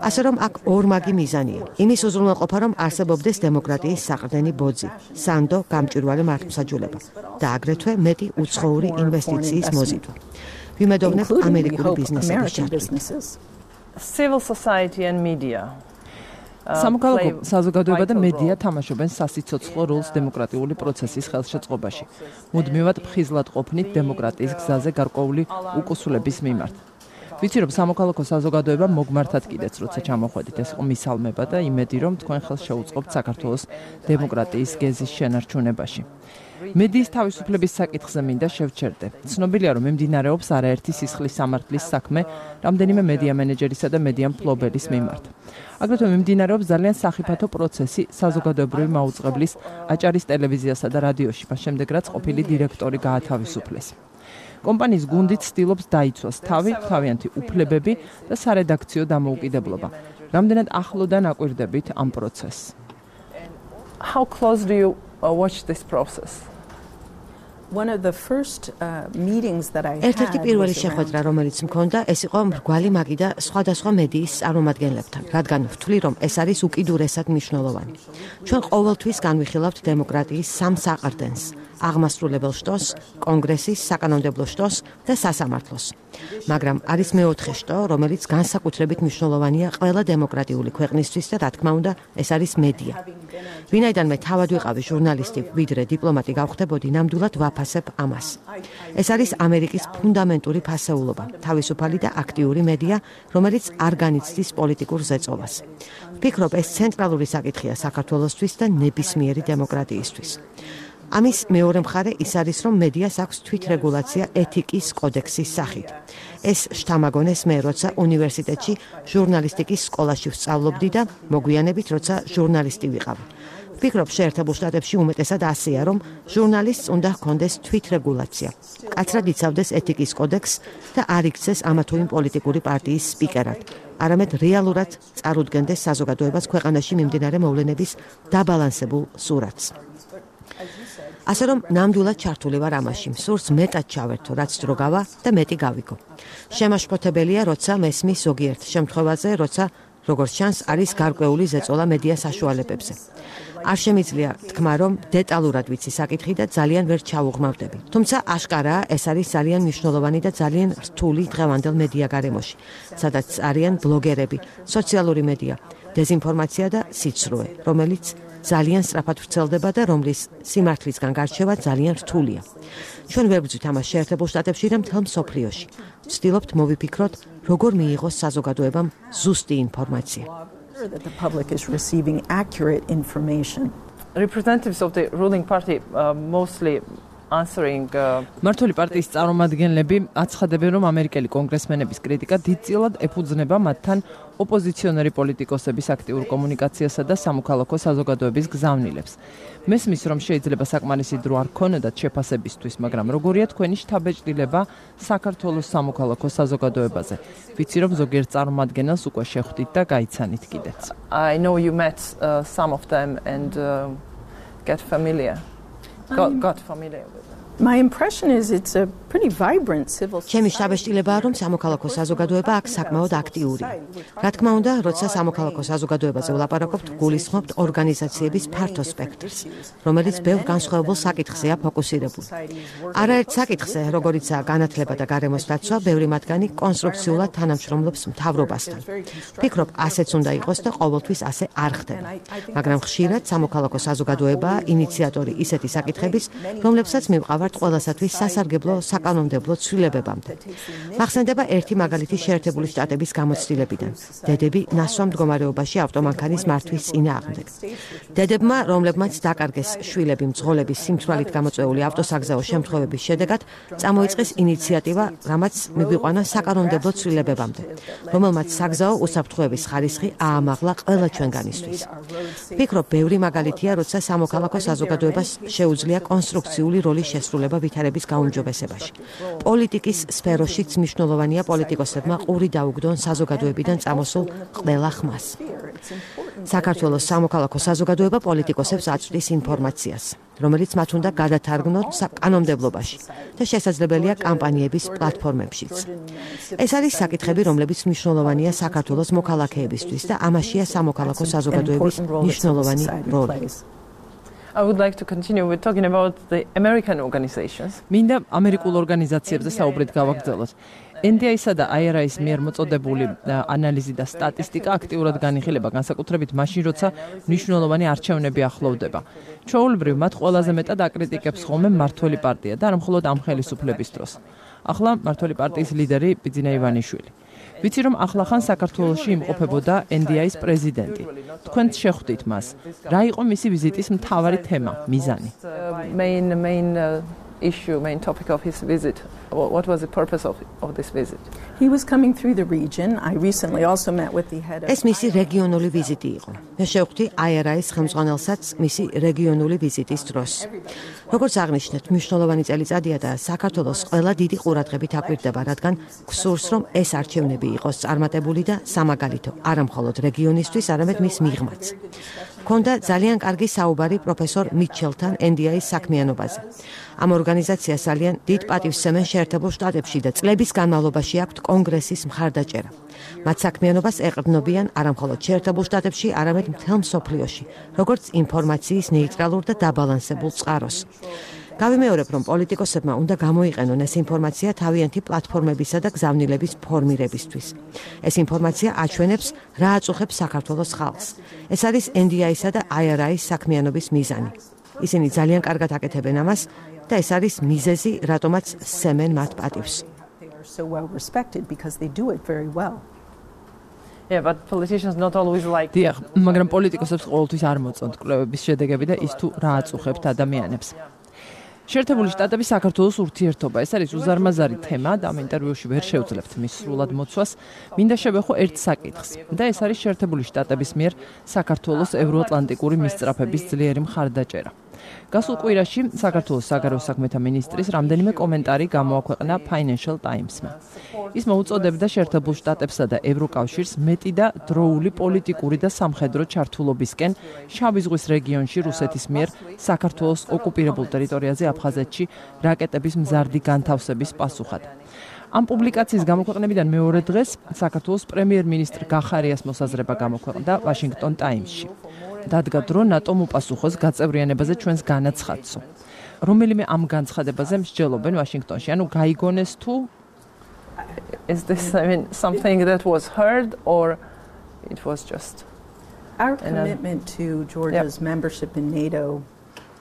ასე რომ აქ ორმაგი მიზანია. იმის უზრუნველყოფა, რომ არსებობდეს დემოკრატიის საყრდენი ბოძი, სანდო გამჭვირვალე მართლმსაჯულება და აგრეთვე მეტი უცხოური ინვესტიციის მოზიდვა. ვიმედოვნებ ამერიკული ბიზნესების ჩართვით. Civil society and media. სამოქალაქო საზოგადოება და მედია თამაშობენ სასიცოცხლო როლს დემოკრატიული პროცესის ხელშეწყობაში. მუდმივად ფხიზლად ყოფნით დემოკრატიის გზაზე გარკვეული უკუსულების მიმართ. ვიცი რომ სამოქალაქო საზოგადოება მოგმართად კიდეც როცა ჩამოხვედით, ეს იყო მისალმება და იმედი რომ თქვენ ხელს შეუწყობთ საქართველოს დემოკრატიის გეზის შენარჩუნებაში. მედიის თავისუფლების საკითხზე მინდა შევჩერდე. ცნობილია რომ მიმდინარეობს არაერთი სისხლის სამართლის საქმე რამდენიმე მედია მენეჯერისა და მედია მფლობელის მიმართ. აგრეთვე მიმდინარეობს ძალიან სახიფათო პროცესი საზოგადოებრივი მაუწყებლის აჭარის ტელევიზიასა და რადიოში, მას შემდეგ რაც ყოფილი დირექტორი გაათავისუფლეს. კომპანიის გუნდით ცდილობს დაიცვას თავიანთი უფლებები და სარედაქციო დამოუკიდებლობა. რამდენად ახლოდან აკვირდებით ამ პროცესს? How close do you watch this process? One of the first meetings that I had. ერთ-ერთი პირველი შეხვედრა, რომელიც მქონდა, ეს იყო მრგვალი მაგი და სხვადასხვა მედიის წარმომადგენლებთან, რადგან ვთვლი, რომ ეს არის უკიდურესად მნიშვნელოვანი. ჩვენ ყოველთვის განვიხილავთ დემოკრატიის სამ საყრდენს: აღმასრულებელ შტოს, კონგრესის, საკანონმდებლო შტოს და სასამართლოს. მაგრამ არის მეოთხე შტო, რომელიც განსაკუთრებით მნიშვნელოვანია ყველა დემოკრატიული ქვეყნისთვის და რა თქმა უნდა, ეს არის მედია. ვინაიდან მე თავად ვიყავი ჟურნალისტი, ვიდრე დიპლომატი გავხდებოდი, ნამდვილად ვაფასებ ამას. ეს არის ამერიკის ფუნდამენტური ფასეულობა, თავისუფალი და აქტიური მედია, რომელიც არ განიცდის პოლიტიკურ ზეწოლას. ვფიქრობ, ეს ცენტრალური საკითხია საქართველოსთვის და ნებისმიერი დემოკრატიისთვის. ამის მეორე მხარე ის არის, რომ მედიას აქვს თვითრეგულაცია ეთიკის კოდექსის სახით. ეს შთამაგონეს მე, როცა უნივერსიტეტში ჟურნალისტიკის სკოლაში ვსწავლობდი და მოგვიანებით, როცა ჟურნალისტი ვიყავი. ფიქრობ, შეერთებულ შტატებში უმეტესად ასეა, რომ ჟურნალისტს უნდა ჰქონდეს თვითრეგულაცია. კაცრად იცავდეს ეთიკის კოდექსს და არ იქცეს ამა თუ იმ პოლიტიკური პარტიის სპიკერად. არამედ რეალურად წარუდგენდეს საზოგადოებას ქვეყანაში მიმდინარე მოვლენების დაბალანსებულ სურათს. ასე რომ ნამდვილად ჩართული ვარ ამაში, სურს მეტად ჩავერთო, რაც დრო გავა და მეტი გავიგო. შემაშფოთებელია, როცა მესმის ზოგიერთ შემთხვევაზე, როცა როგორც ჩანს, არის გარკვეული ზეწოლა მედია საშუალებებზე. არ შემიძლია თქვა, რომ დეტალურად ვიცი საკითხი და ძალიან ვერ ჩავუღმავდები. თუმცა აშკარაა, ეს არის ძალიან მნიშვნელოვანი და ძალიან რთული დღევანდელ მედია გარემოში, სადაც არიან ბლოგერები, სოციალური მედია, დეზინფორმაცია და სიცრუე, რომელიც ძალიან სწრაფად ვრცელდება და რომლის სიმართლისგან გარჩევა ძალიან რთულია. ჩვენ ვერ ვძვით ამას შეერთებულ შტატებში და მთელ მსოფლიოში. ვცდილობთ მოვიფიქროთ, როგორ მიიღოს საზოგადოებამ ზუსტი ინფორმაცია. That the public is receiving accurate information. Representatives of the ruling party mostly answering მართული პარტიის წარმომადგენლები აცხადებენ, რომ ამერიკელი კონგრესმენების კრიტიკა დიდწილად ეფუძნება მათთან ოპოზიციონერი პოლიტიკოსების აქტიურ კომუნიკაციასა და სამოქალაქო საზოგადოების გზავნილებს. მესმის, რომ შეიძლება საკმარისი დრო არ ქონოდათ შეფასებისთვის, მაგრამ როგორია თქვენი შთაბეჭდილება საქართველოს სამოქალაქო საზოგადოებაზე? ვიცი, რომ ზოგიერთ წარმომადგენელს უკვე შეხვდით და გაიცანით კიდეც. I know you met some of them and got familiar with them. My impression is it's a pretty vibrant civil society. ჩემი შთაბეჭდილებაა, რომ სამოქალაქო საზოგადოება აქ საკმაოდ აქტიური. რა თქმა უნდა, როცა სამოქალაქო საზოგადოებაზე ვლაპარაკობთ, გულისხმობთ ორგანიზაციების ფართო სპექტრს, რომელიც ბევრ განსხვავებულ საკითხზეა ფოკუსირებული. არაერთ საკითხზე, როგორიცაა განათლება და გარემოს დაცვა, ბევრი მათგანი კონსტრუქციულად თანამშრომლობს მთავრობასთან. ფიქრობ, ასეც უნდა იყოს და ყოველთვის ასე არ ხდება. მაგრამ ხშირად სამოქალაქო საზოგადოებაა ინიციატორი ისეთი საკითხების, რომლებსაც მივყავართ ყველასათვის სასარგებლო საკანონმდებლო ცვლილებებამდე. მახსენდება ერთი მაგალითი შეერთებული შტატების გამოცდილებიდან. დედები ნასვამ მდგომარეობაში ავტომანქანის მართვის წინააღმდეგ. დედებმა, რომლებმაც დაკარგეს შვილები მძღოლების სიმთვრალით გამოწვეული ავტოსაგზაო შემთხვევების შედეგად, წამოიწყეს ინიციატივა, რამაც მივიყვანა საკანონმდებლო ცვლილებებამდე, რომელმაც საგზაო უსაფრთხოების ხარისხი აამაღლა ყველა ჩვენგანისთვის. ფიქრობ, ბევრი მაგალითია, როცა სამოქალაქო საზოგადოებას შეუძლია კონსტრუქციული როლის შესრულება ვითარების გაუმჯობესებაში. პოლიტიკის სფეროშიც მნიშვნელოვანია პოლიტიკოსებმა ყური დაუგდონ საზოგადოებიდან წამოსულ ყველა ხმას. საქართველოს სამოქალაქო საზოგადოება პოლიტიკოსებს აწვდის ინფორმაციას, რომელიც მათ უნდა გადათარგმნოთ კანონმდებლობაში და შესაძლებელია კამპანიების პლატფორმებშიც. ეს არის საკითხები, რომლებიც მნიშვნელოვანია საქართველოს მოქალაქეებისთვის და ამაშია სამოქალაქო საზოგადოების მნიშვნელოვანი როლი. I would like to continue with talking about the American organizations. მინდა ამერიკულ ორგანიზაციებზე საუბრით გავაგრძელოთ. NDI-სა და IRA-ის მიერ მოწოდებული ანალიზი და სტატისტიკა აქტიურად განიხილება, განსაკუთრებით მაშინ, როცა მნიშვნელოვანი არჩევნები ახლოვდება. ჩვეულებრივ, მათ ყველაზე მეტად აკრიტიკებს ხოლმე მმართველი პარტია და არა მხოლოდ ამ ხელისუფლების დროს. ახლა მმართველი პარტიის ლიდერი ბიძინა ივანიშვილი. ვიცი, რომ ახლახან საქართველოში იმყოფებოდა NDI-ის პრეზიდენტი. თქვენ შეხვდით მას. რა იყო მისი ვიზიტის მთავარი თემა, მიზანი? Main topic of his visit. What was the purpose of this visit? He was coming through the region. I recently also met with the head of ეს მისი რეგიონული ვიზიტი იყო. მე შევხვდი IRA-ის ხელმძღვანელსაც მისი რეგიონული ვიზიტის დროს. როგორც აღნიშნეთ, მნიშვნელოვანი წელიწადია და საქართველოს ყველა დიდი ყურადღებით აკვირდება, რადგან გსურს, რომ ეს არჩევნები იყოს წარმატებული და სამაგალითო, არა მხოლოდ რეგიონისთვის, არამედ მის მიღმაც. ქონდა ძალიან კარგი საუბარი პროფესორ მიჩელთან NDI-ის საქმიანობაზე. ამ ორგანიზაციას ძალიან დიდ პატივს სცემენ შეერთებულ შტატებში და წლების განმავლობაში აქვთ კონგრესის მხარდაჭერა. მათ საქმიანობას ეყრდნობიან არა მხოლოდ შეერთებულ შტატებში, არამედ მთელ მსოფლიოში, როგორც ინფორმაციის ნეიტრალურ და დაბალანსებულ წყაროს. გავიმეორებ, რომ პოლიტიკოსებმა უნდა გამოიყენონ ეს ინფორმაცია თავიანთი პლატფორმებისა და გზავნილების ფორმირებისთვის. ეს ინფორმაცია აჩვენებს, რა აწუხებს საქართველოს ხალხს. ეს არის NDI-სა და IRA-ის საქმიანობის მიზანი. ისინი ძალიან კარგად აკეთებენ ამას და ეს არის მიზეზი, რატომაც სცემენ მათ პატივს. so well respected because they do it very well. Yeah, but politicians not always like. დიახ, მაგრამ პოლიტიკოსებს ყოველთვის არ მოწონთ კვლევების შედეგები და ის თუ რა აწუხებთ ადამიანებს. შეერთებული შტატების საქართველოს ურთიერთობა ეს არის უზარმაზარი თემა და ამ ინტერვიუში ვერ შევძლებთ მის სრულად მოცვას. მინდა შევეხო ერთ საკითხს და ეს არის შეერთებული შტატების მიერ საქართველოს ევროატლანტიკური მისწრაფების ძლიერი მხარდაჭერა. გასულ კვირაში საქართველოს საგარეო საქმეთა მინისტრის რამდენიმე კომენტარი გამოაქვეყნა Financial Times-მა. ის მოუწოდებდა შეერთებულ შტატებსა და ევროკავშირს მეტი და დროული პოლიტიკური და სამხედრო ჩართულობისკენ შავი ზღვის რეგიონში რუსეთის მიერ საქართველოს ოკუპირებულ ტერიტორიაზე აფხაზეთში რაკეტების მზარდი განთავსების პასუხად. ამ პუბლიკაციის გამოქვეყნებიდან მეორე დღეს საქართველოს პრემიერ-მინისტრ გახარიას მოსაზრება გამოქვეყნდა Washington Times-ში. დადგა დრო ნატომ უპასუხოს გაწევრიანებაზე ჩვენს განაცხადსო. რომელიმე ამ განცხადებაზე მსჯელობენ ვაშინგტონში, ანუ გაიგონეს თუ Is this something that was heard or it was just our commitment to Georgia's membership in NATO?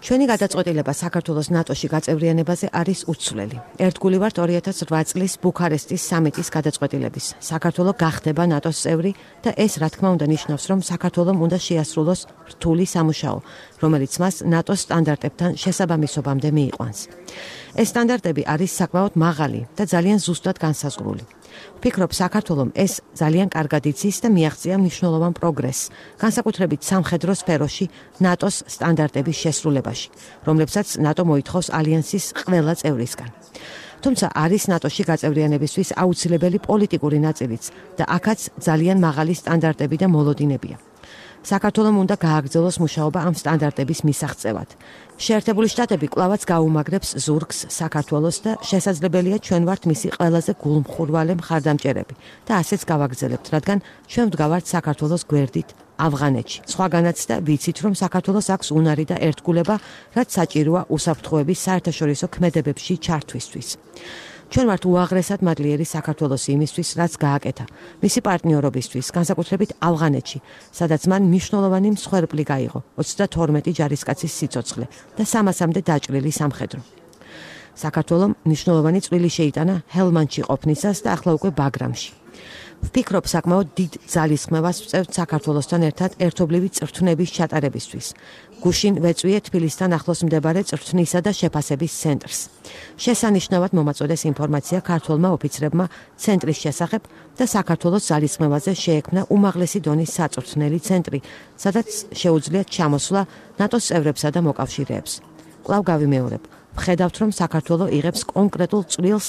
ჩვენი გადაწყვეტილება საქართველოს ნატოში გაწევრიანებაზე არის უცვლელი. ერთგული ვართ 2008 წლის ბუქარესტის სამიტის გადაწყვეტილების. საქართველო გახდება ნატოს წევრი და ეს რა თქმა უნდა ნიშნავს, რომ საქართველომ უნდა შეასრულოს რთული სამუშაო, რომელიც მას ნატოს სტანდარტებთან შესაბამისობამდე მიიყვანს. ეს სტანდარტები არის საკმაოდ მაღალი და ძალიან ზუსტად განსაზღვრული. ვფიქრობ, საქართველომ ეს ძალიან კარგად იცის და მიაღწია მნიშვნელოვან პროგრესს, განსაკუთრებით სამხედრო სფეროში ნატოს სტანდარტების შესრულებაში, რომლებსაც ნატო მოითხოვს ალიანსის ყველა წევრისგან. თუმცა არის ნატოში გაწევრიანებისთვის აუცილებელი პოლიტიკური ნაწილიც და აქაც ძალიან მაღალი სტანდარტები და მოლოდინებია. საქართველომ უნდა გააგრძელოს მუშაობა ამ სტანდარტების მისაღწევად. შეერთებული შტატები კვლავაც გაუმაგრებს ზურგს საქართველოს და შესაძლებელია ჩვენ ვართ მისი ყველაზე გულმხურვალე მხარდამჭერები და ასეც გავაგრძელებთ, რადგან ჩვენ ვდგავართ საქართველოს გვერდით ავღანეთში. სხვაგანაც და ვიცით, რომ საქართველოს აქვს უნარი და ერთგულება, რაც საჭიროა უსაფრთხოების საერთაშორისო ქმედებებში ჩართვისთვის. ჩვენ ვართ უაღრესად მადლიერი საქართველოს იმისთვის, რაც გააკეთა მისი პარტნიორობისთვის, განსაკუთრებით ავღანეთში, სადაც მან მნიშვნელოვანი მსხვერპლი გაიღო 32 ჯარისკაცის სიცოცხლე და 300-მდე დაჭრილი სამხედრო. საქართველომ მნიშვნელოვანი წვლილი შეიტანა ჰელმანდში ყოფნისას და ახლა უკვე ბაგრამში. ვფიქრობ, საკმაოდ დიდ ძალისხმევას ვწევთ საქართველოსთან ერთად ერთობლივი წრთვნების ჩატარებისთვის. გუშინ ვეწვიე თბილისთან ახლოს მდებარე წრთვნისა და შეფასების ცენტრს. შესანიშნავად მომაწოდეს ინფორმაცია ქართველმა ოფიცრებმა ცენტრის შესახებ და საქართველოს ძალისხმევაზე შეექმნა უმაღლესი დონის საწვრთნელი ცენტრი, სადაც შეუძლიათ ჩამოსვლა ნატოს წევრებსა და მოკავშირეებს. კვლავ გავიმეორებ, ვხედავთ, რომ საქართველო იღებს კონკრეტულ წვლილს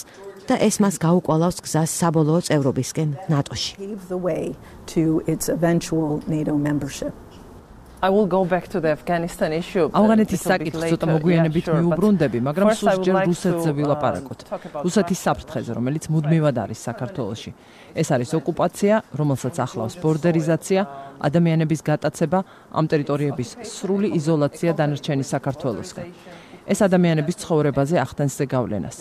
და ეს მას გაუკვალავს გზას საბოლოო წევრობისკენ ნატოში. I will go back to the Afghanistan issue. ავღანეთის საკითხს ცოტა მოგვიანებით მიუბრუნდები, მაგრამ სულ რუსეთზე ვილაპარაკოთ. რუსეთის საფრთხეზე, რომელიც მუდმივად არის საქართველოში. ეს არის ოკუპაცია, რომელსაც ახლავს ბორდერიზაცია, ადამიანების გატაცება, ამ ტერიტორიების სრული იზოლაცია დანარჩენი საქართველოსგან. ეს ადამიანების ცხოვრებაზე ახდენს ზეგავლენას.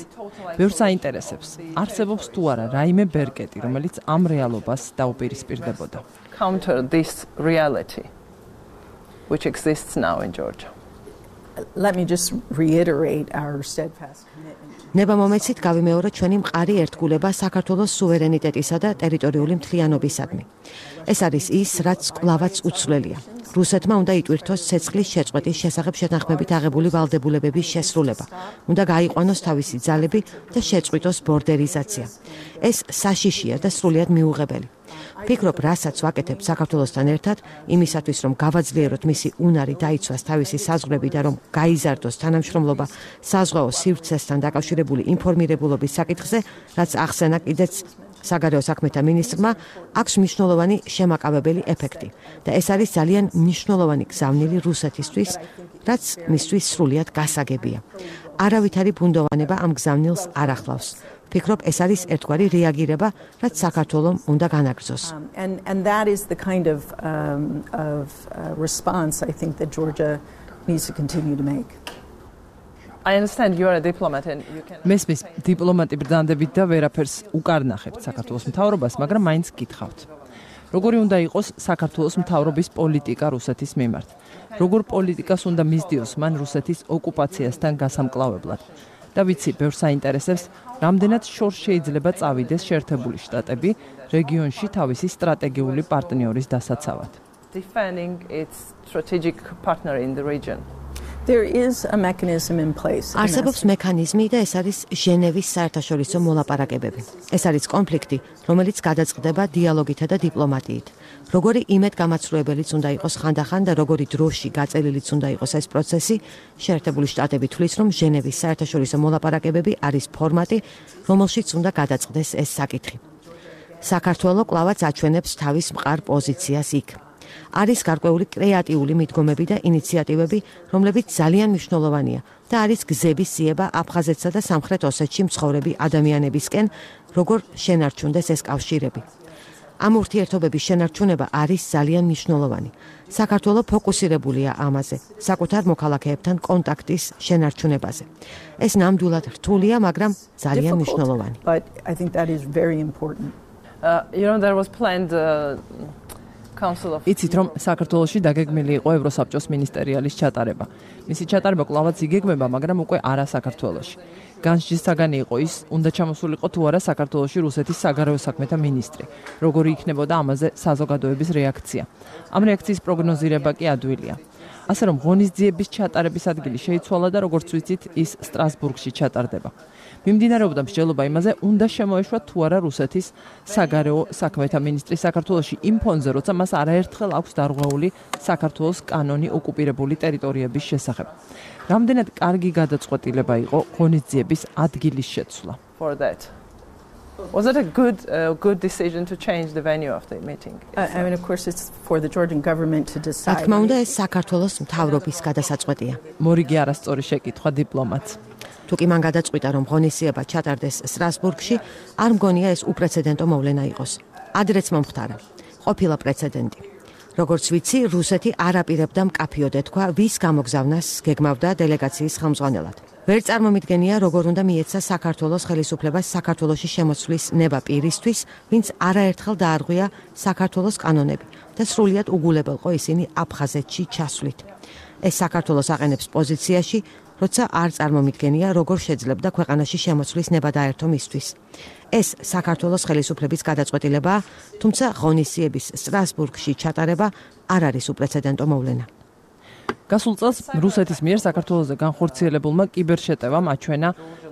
ბევრს აინტერესებს, არსებობს თუ არა რაიმე ბერკეტი, რომელიც ამ რეალობას დაუპირისპირდებოდა. Counter this reality which exists now in Georgia. Let me just reiterate our steadfast commitment. ნება მომეცით გავიმეორო ჩვენი მყარი ერთგულება საქართველოს სუვერენიტეტისა და ტერიტორიული მთლიანობისადმი. ეს არის ის, რაც კვლავაც უცვლელია. რუსეთმა უნდა იტვირთოს ცეცხლის შეწყვეტის შესახებ შეთანხმებით აღებული ვალდებულებების შესრულება. უნდა გაიყვანოს თავისი ძალები და შეწყვიტოს ბორდერიზაცია. ეს საშიშია და სრულიად მიუღებელი. ვფიქრობ, რასაც ვაკეთებ საქართველოსთან ერთად, იმისათვის, რომ გავაძლიეროთ მისი უნარი დაიცვას თავისი საზღვრები და რომ გაიზარდოს თანამშრომლობა საზღვაო სივრცესთან დაკავშირებული ინფორმირებულობის საკითხზე, რაც ახსენა კიდეც საგარეო საქმეთა მინისტრმა, აქვს მნიშვნელოვანი შემაკავებელი ეფექტი და ეს არის ძალიან მნიშვნელოვანი გზავნილი რუსეთისთვის, რაც მისთვის სრულიად გასაგებია. არავითარი ბუნდოვანება ამ გზავნილს არ ახლავს. ვფიქრობ, ეს არის ერთგვარი რეაგირება, რაც საქართველომ უნდა განაგრძოს. And that is the kind of response I think that Georgia needs to continue to make. I understand you are a diplomat and you can მესმის დიპლომატი ბრდანდებით და ვერაფერს უკარნახებთ საქართველოს მთავრობას, მაგრამ მაინც გითხავთ. როგორი უნდა იყოს საქართველოს მთავრობის პოლიტიკა რუსეთის მიმართ? როგორ პოლიტიკას უნდა მისდიოს მან რუსეთის ოკუპაციასთან გასამკლავებლად? და ვიცი, ბევრს აინტერესებს, რამდენად შორს შეიძლება წავიდეს შეერთებული შტატები რეგიონში თავისი სტრატეგიული პარტნიორის დასაცავად. defending its strategic partner in the region. There is a mechanism in place. არსებობს მექანიზმი და ეს არის ჟენევის საერთაშორისო მოლაპარაკებები. ეს არის კონფლიქტი, რომელიც გადაწყდება დიალოგითა და დიპლომატიით. Როგორი იმედგამაცრუებელიც უნდა იყოს ხანდახან და როგორი დროში გაწელილიც უნდა იყოს ეს პროცესი, შეერთებული შტატები თვლის, რომ ჟენევის საერთაშორისო მოლაპარაკებები არის ფორმატი, რომელშიც უნდა გადაწყდეს ეს საკითხი. საქართველო კვლავაც აჩვენებს თავის მყარ პოზიციას იქ. არის გარკვეული კრეატიული მიდგომები და ინიციატივები, რომლებიც ძალიან მნიშვნელოვანია და არის გზების სიება აფხაზეთსა და სამხრეთ ოსეთში მცხოვრები ადამიანებისკენ, როგორ შენარჩუნდეს ეს კავშირები. ამ ურთიერთობების შენარჩუნება არის ძალიან მნიშვნელოვანი. საქართველო ფოკუსირებულია ამაზე, საკუთარ მოქალაქეებთან კონტაქტის შენარჩუნებაზე. ეს ნამდვილად რთულია, მაგრამ ძალიან მნიშვნელოვანი. But I think that is very important. There was planned იცით რომ საქართველოში დაგეგმილი იყო ევროსაბჭოს მინისტერიალის ჩატარება. მისი ჩატარება კვლავაც იგეგმება, მაგრამ უკვე არა საქართველოში. განსჯის საგანი იყო ის, უნდა ჩამოსულიყო თუ არა საქართველოში რუსეთის საგარეო საქმეთა მინისტრი. როგორი იქნებოდა ამაზე საზოგადოების რეაქცია. ამ რეაქციის პროგნოზირება კი ადვილია. ასე რომ ღონისძიების ჩატარების ადგილი შეიცვალა და როგორც ვიცით, ის სტრასბურგში ჩატარდება. მიმდინარეობდა მსჯელობა იმაზე, უნდა შემოეშვა თუ არა რუსეთის საგარეო საქმეთა მინისტრი საქართველოში იმ ფონზე, როცა მას არაერთხელ აქვს დარღვეული საქართველოს კანონი ოკუპირებული ტერიტორიების შესახებ. რამდენად კარგი გადაწყვეტილება იყო ღონისძიების ადგილის შეცვლა. For that. Was it a good decision to change the venue of the meeting? I mean, of course, it's for the Georgian government to decide. რა თქმა უნდა, ეს საქართველოს მთავრობის გადასაწყვეტია. მორიგი არასწორი შეკითხვა დიპლომატს. თუკი მან გადაწყვიტა, რომ ღონისძიება ჩატარდეს სტრასბურგში, არ მგონია ეს უპრეცედენტო მოვლენა იყოს. ადრეც მომხდარა. ყოფილა პრეცედენტი. როგორც ვიცი, რუსეთი არ აპირებდა მკაფიოდ ეთქვა, ვის გამოგზავნას გეგმავდა დელეგაციის ხელმძღვანელად. ვერ წარმომიდგენია, როგორ უნდა მიეცა საქართველოს ხელისუფლებას საქართველოში შემოცვლის ნება პირისთვის, ვინც არაერთხელ დაარღვია საქართველოს კანონები და სრულიად უგულებელყო ისინი აფხაზეთში ჩასვლით. ეს საქართველოს აყენებს პოზიციაში, როცა არ წარმომიდგენია, როგორ შეძლებდა ქვეყანაში შემოცვლის ნება დაერთო მისთვის. ეს საქართველოს ხელისუფლების გადაწყვეტილებაა, თუმცა ღონისძიების სტრასბურგში ჩატარება არ არის უპრეცედენტო მოვლენა. გასულ წელს რუსეთის მიერ საქართველოზე განხორციელებულმა კიბერშეტევამ აჩვენა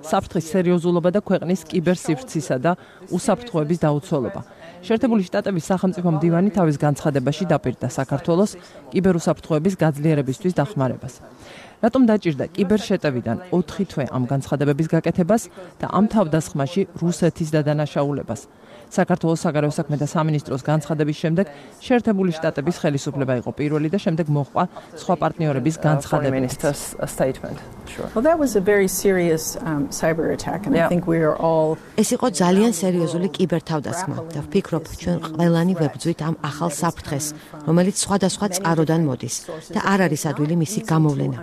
საფრთხის სერიოზულობა და ქვეყნის კიბერსივრცისა და უსაფრთხოების დაუცველობა. შეერთებული შტატების სახელმწიფო მდივანი თავის განცხადებაში დაპირდა საქართველოს კიბერუსაფრთხოების გაძლიერებისთვის დახმარებას. რატომ დაჭირდა კიბერშეტევიდან 4 თვე ამ განცხადებების გაკეთებას და ამ თავდასხმაში რუსეთის დადანაშაულებას? საქართველოს საგარეო საქმეთა სამინისტროს განცხადების შემდეგ შეერთებული შტატების ხელისუფლება იყო პირველი და შემდეგ მოჰყვა სხვა პარტნიორების განცხადებები. Well, that was a very serious cyber attack, and I think we are all. ეს იყო ძალიან სერიოზული კიბერთავდასხმა და ვფიქრობ, ჩვენ ყველანი ვებრძვით ამ ახალ საფრთხეს, რომელიც სხვადასხვა წყაროდან მოდის და არ არის ადვილი მისი გამოვლენა.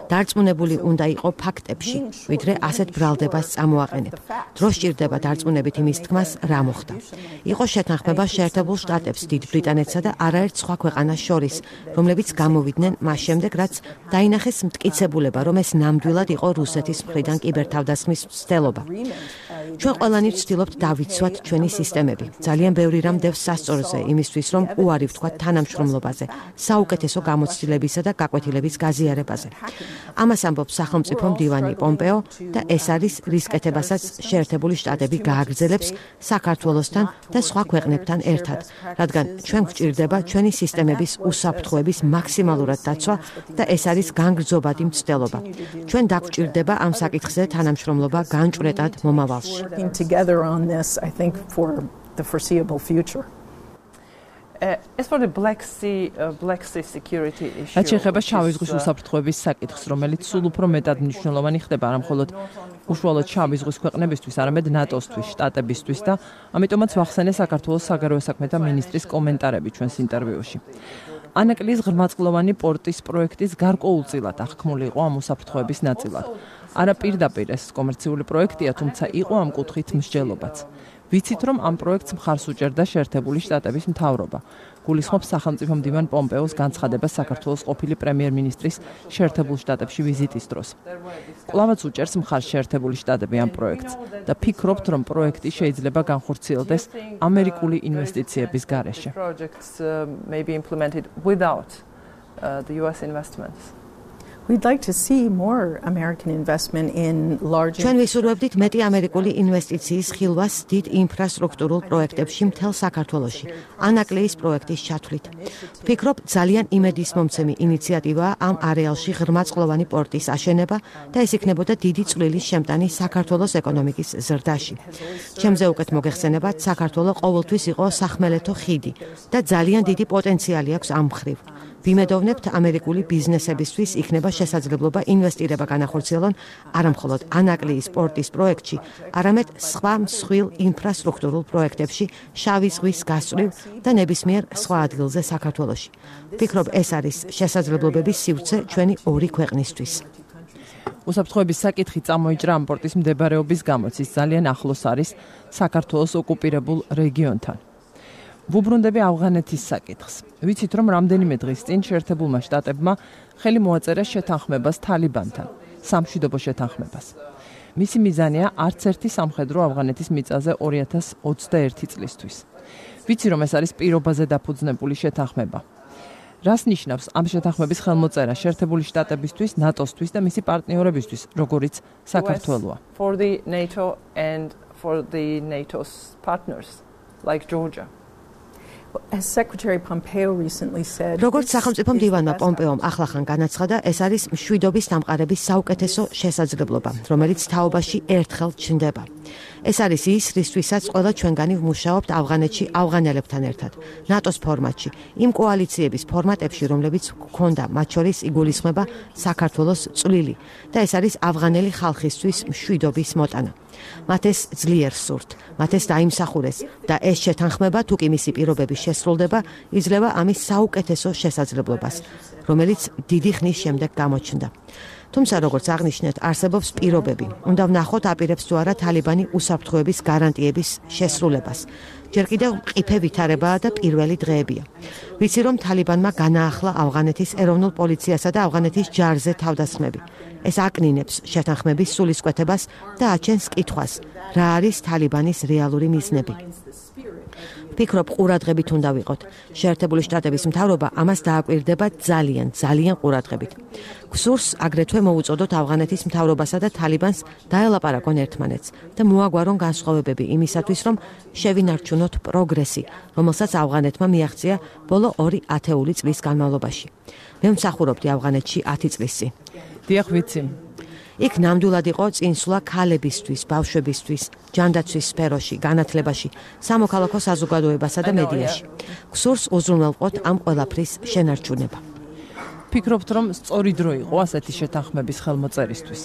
დარწმუნებული უნდა იყო ფაქტებში, ვიდრე ასეთ ბრალდებას წამოაყენებ. დრო სჭირდება დარწმუნებით იმის თქმას, რა მოხდა. იყო შეთანხმება შეერთებულ შტატებს, დიდ ბრიტანეთსა და არაერთ სხვა ქვეყანას შორის, რომლებიც გამოვიდნენ მას შემდეგ, რაც დაინახეს მტკიცებულება, რომ ეს ნამდვილად იყო რუსეთის მხრიდან კიბერთავდასხმის მცდელობა. ჩვენ ყველანი ვცდილობთ დავიცვათ ჩვენი სისტემები. ძალიან ბევრი რამ დევს სასწორზე იმისთვის, რომ უარი ვთქვათ თანამშრომლობაზე, საუკეთესო გამოცდილებისა და გაკვეთილების გაზიარებაზე. ამას ამბობს სახელმწიფო მდივანი პომპეო და ეს არის რისკეთებასაც შეერთებული შტატები გააგრძელებს საქართველოსთან და სხვა ქვეყნებთან ერთად, რადგან ჩვენ გვჭირდება ჩვენი სისტემების უსაფრთხოების მაქსიმალურად დაცვა და ეს არის განგრძობადი მცდელობა. ჩვენ დაგვჭირდება ამ საკითხზე თანამშრომლობა განჭვრეტად მომავალში. Working together on this, I think, for the foreseeable future. As for the Black Sea security issue. რაც შეეხება შავი ზღვის უსაფრთხოების საკითხს, რომელიც სულ უფრო მეტად მნიშვნელოვანი ხდება არა მხოლოდ უშუალოდ შავი ზღვის ქვეყნებისთვის, არამედ ნატოსთვის, შტატებისთვის და ამიტომაც ვახსენე საქართველოს საგარეო საქმეთა მინისტრის კომენტარები ჩვენს ინტერვიუში. ანაკლის ღრმაწყლოვანი პორტის პროექტის გარკვეულწილად აღქმული იყო ამ უსაფრთხოების ნაწილად. არა პირდაპირ ეს კომერციული პროექტია, თუმცა იყო ამ კუთხით მსჯელობაც. ვიცით, რომ ამ პროექტს მხარს უჭერდა შეერთებული შტატების მთავრობა. გულისხმობს სახელმწიფო მდივან პომპეოს განცხადებას საქართველოს ყოფილი პრემიერ-მინისტრის შეერთებულ შტატებში ვიზიტის დროს. კვლავაც უჭერს მხარს შეერთებული შტატები ამ პროექტს და ფიქრობთ, რომ პროექტი შეიძლება განხორციელდეს ამერიკული ინვესტიციების გარეშე. Projects may be implemented without the US investments. We'd like to see more American investment in large. ჩვენ ვისურვებდით მეტი ამერიკული ინვესტიციის ხილვას დიდ ინფრასტრუქტურულ პროექტებში მთელ საქართველოში, ანაკლიის პროექტის ჩათვლით. ვფიქრობ, ძალიან იმედისმომცემი ინიციატივაა ამ არეალში ღრმაწყლოვანი პორტის აშენება და ეს იქნებოდა დიდი წვლილის შემტანი საქართველოს ეკონომიკის ზრდაში. ჩემზე უკეთ მოგეხსენებათ, საქართველო ყოველთვის იყო სახმელეთო ხიდი და ძალიან დიდი პოტენციალი აქვს ამ მხრივ. ვიმედოვნებთ ამერიკული ბიზნესებისთვის იქნება შესაძლებლობა ინვესტირება განახორციელონ არა მხოლოდ ანაკლიის პორტის პროექტში, არამედ სხვა მსხვილ ინფრასტრუქტურულ პროექტებში შავი ზღვის გასწვრივ და ნებისმიერ სხვა ადგილზე საქართველოში. ვფიქრობ, ეს არის შესაძლებლობების სივრცე ჩვენი ორი ქვეყნისთვის. უსაფრთხოების საკითხი წამოიჭრა ამ პორტის მდებარეობის გამოც, ის ძალიან ახლოს არის საქართველოს ოკუპირებულ რეგიონთან. ვუბრუნდები ავღანეთის საკითხს. ვიცით, რომ რამდენიმე დღის წინ შეერთებულმა შტატებმა ხელი მოაწერა შეთანხმებას თალიბანთან, სამშვიდობო შეთანხმებას. მისი მიზანია არც ერთი სამხედრო ავღანეთის მიწაზე 2021 წლისთვის. ვიცი, რომ ეს არის პირობაზე დაფუძნებული შეთანხმება. რას ნიშნავს ამ შეთანხმების ხელმოწერა შეერთებული შტატებისთვის, ნატოსთვის და მისი პარტნიორებისთვის, როგორიც საქართველოა? For the NATO and for the NATO's partners like Georgia. As Secretary Pompeo recently said, როგორც სახელმწიფო მდივანმა პომპეომ ახლახან განაცხადა, ეს არის მშვიდობის დამყარების საუკეთესო შესაძლებლობა, რომელიც თაობაში ერთხელ ჩნდება. ეს არის ის, რისთვისაც ყველა ჩვენგანი ვმუშაობთ ავღანეთში ავღანელებთან ერთად, ნატოს ფორმატში, იმ კოალიციების ფორმატებში, რომლებიც გქონდა, მათ შორის იგულისხმება საქართველოს წვლილი და ეს არის ავღანელი ხალხისთვის მშვიდობის მოტანა. მათ ეს ძლიერ სურთ, მათ ეს დაიმსახურეს და ეს შეთანხმება, თუ კი მისი პირობები შესრულდება, იძლევა ამის საუკეთესო შესაძლებლობას, რომელიც დიდი ხნის შემდეგ გამოჩნდა. თუმცა, როგორც აღნიშნეთ, არსებობს პირობები. უნდა ვნახოთ, აპირებს თუ არა თალიბანი უსაფრთხოების გარანტიების შესრულებას. ჯერ კიდევ მყიფე ვითარებაა და პირველი დღეებია. ვიცი, რომ თალიბანმა განაახლა ავღანეთის ეროვნულ პოლიციასა და ავღანეთის ჯარზე თავდასხმები. ეს აკნინებს შეთანხმების სულისკვეთებას და აჩენს კითხვას, რა არის თალიბანის რეალური მიზნები. ვფიქრობ, ყურადღებით უნდა ვიყოთ. შეერთებული შტატების მთავრობა ამას დააკვირდება ძალიან ყურადღებით. გსურს აგრეთვე მოუწოდოთ ავღანეთის მთავრობასა და თალიბანს დაელაპარაკონ ერთმანეთს და მოაგვარონ განსხვავებები იმისათვის, რომ შევინარჩუნოთ პროგრესი, რომელსაც ავღანეთმა მიაღწია ბოლო 2 ათეული წლის განმავლობაში. მე ვმსახურობდი ავღანეთში 10 წლის წინ. დიახ, ვიცი. იქ ნამდვილად იყო წინსვლა ქალებისთვის, ბავშვებისთვის, ჯანდაცვის სფეროში, განათლებაში, სამოქალაქო საზოგადოებასა და მედიაში. გსურს უზრუნველყოთ ამ ყველაფრის შენარჩუნება. ფიქრობთ, რომ სწორი დრო იყო ასეთი შეთანხმების ხელმოწერისთვის?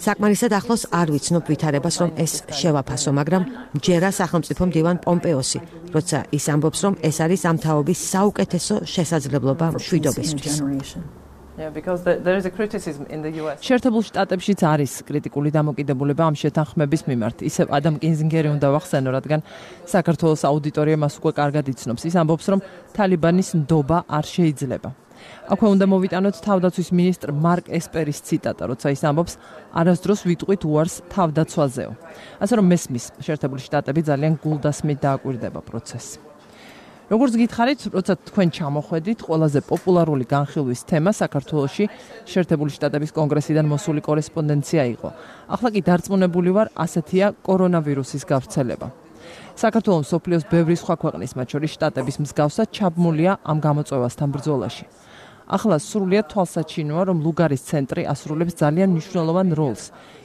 საკმარისად ახლოს არ ვიცნობ ვითარებას, რომ ეს შევაფასო, მაგრამ ჯერა სახელმწიფო მდივან პომპეოსი, როცა ის ამბობს, რომ ეს არის ამ თაობის საუკეთესო შესაძლებლობა მშვიდობისთვის. Yeah, because there is a criticism in the US. შეერთებულ შტატებშიც არის კრიტიკული დამოკიდებულება ამ შეთანხმების მიმართ. ისევ ადამ კინზინგერი უნდა ვახსენო, რადგან საქართველოს აუდიტორია მას უკვე კარგად იცნობს. ის ამბობს, რომ თალიბანის ნდობა არ შეიძლება. აქვე უნდა მოვიტანოთ თავდაცვის მინისტრ მარკ ესპერის ციტატა, როცა ის ამბობს, არასდროს ვიტყვით უარს თავდაცვაზეო. ასე რომ მესმის, შეერთებული შტატები ძალიან გულდასმით დააკვირდება პროცესს. როგორც გითხარით, როცა თქვენ ჩამოხვედით, ყველაზე პოპულარული განხილვის თემა საქართველოში შეერთებული შტატების კონგრესიდან მოსული კორესპონდენცია იყო. ახლა კი დარწმუნებული ვარ, ასეთია კორონავირუსის გავრცელება. საქართველო მსოფლიოს ბევრი სხვა ქვეყნის, მათ შორის შტატების მსგავსად, ჩაბმულია ამ გამოწვევასთან ბრძოლაში. ახლა სრულიად თვალსაჩინოა, რომ ლუგარის ცენტრი ასრულებს ძალიან მნიშვნელოვან როლს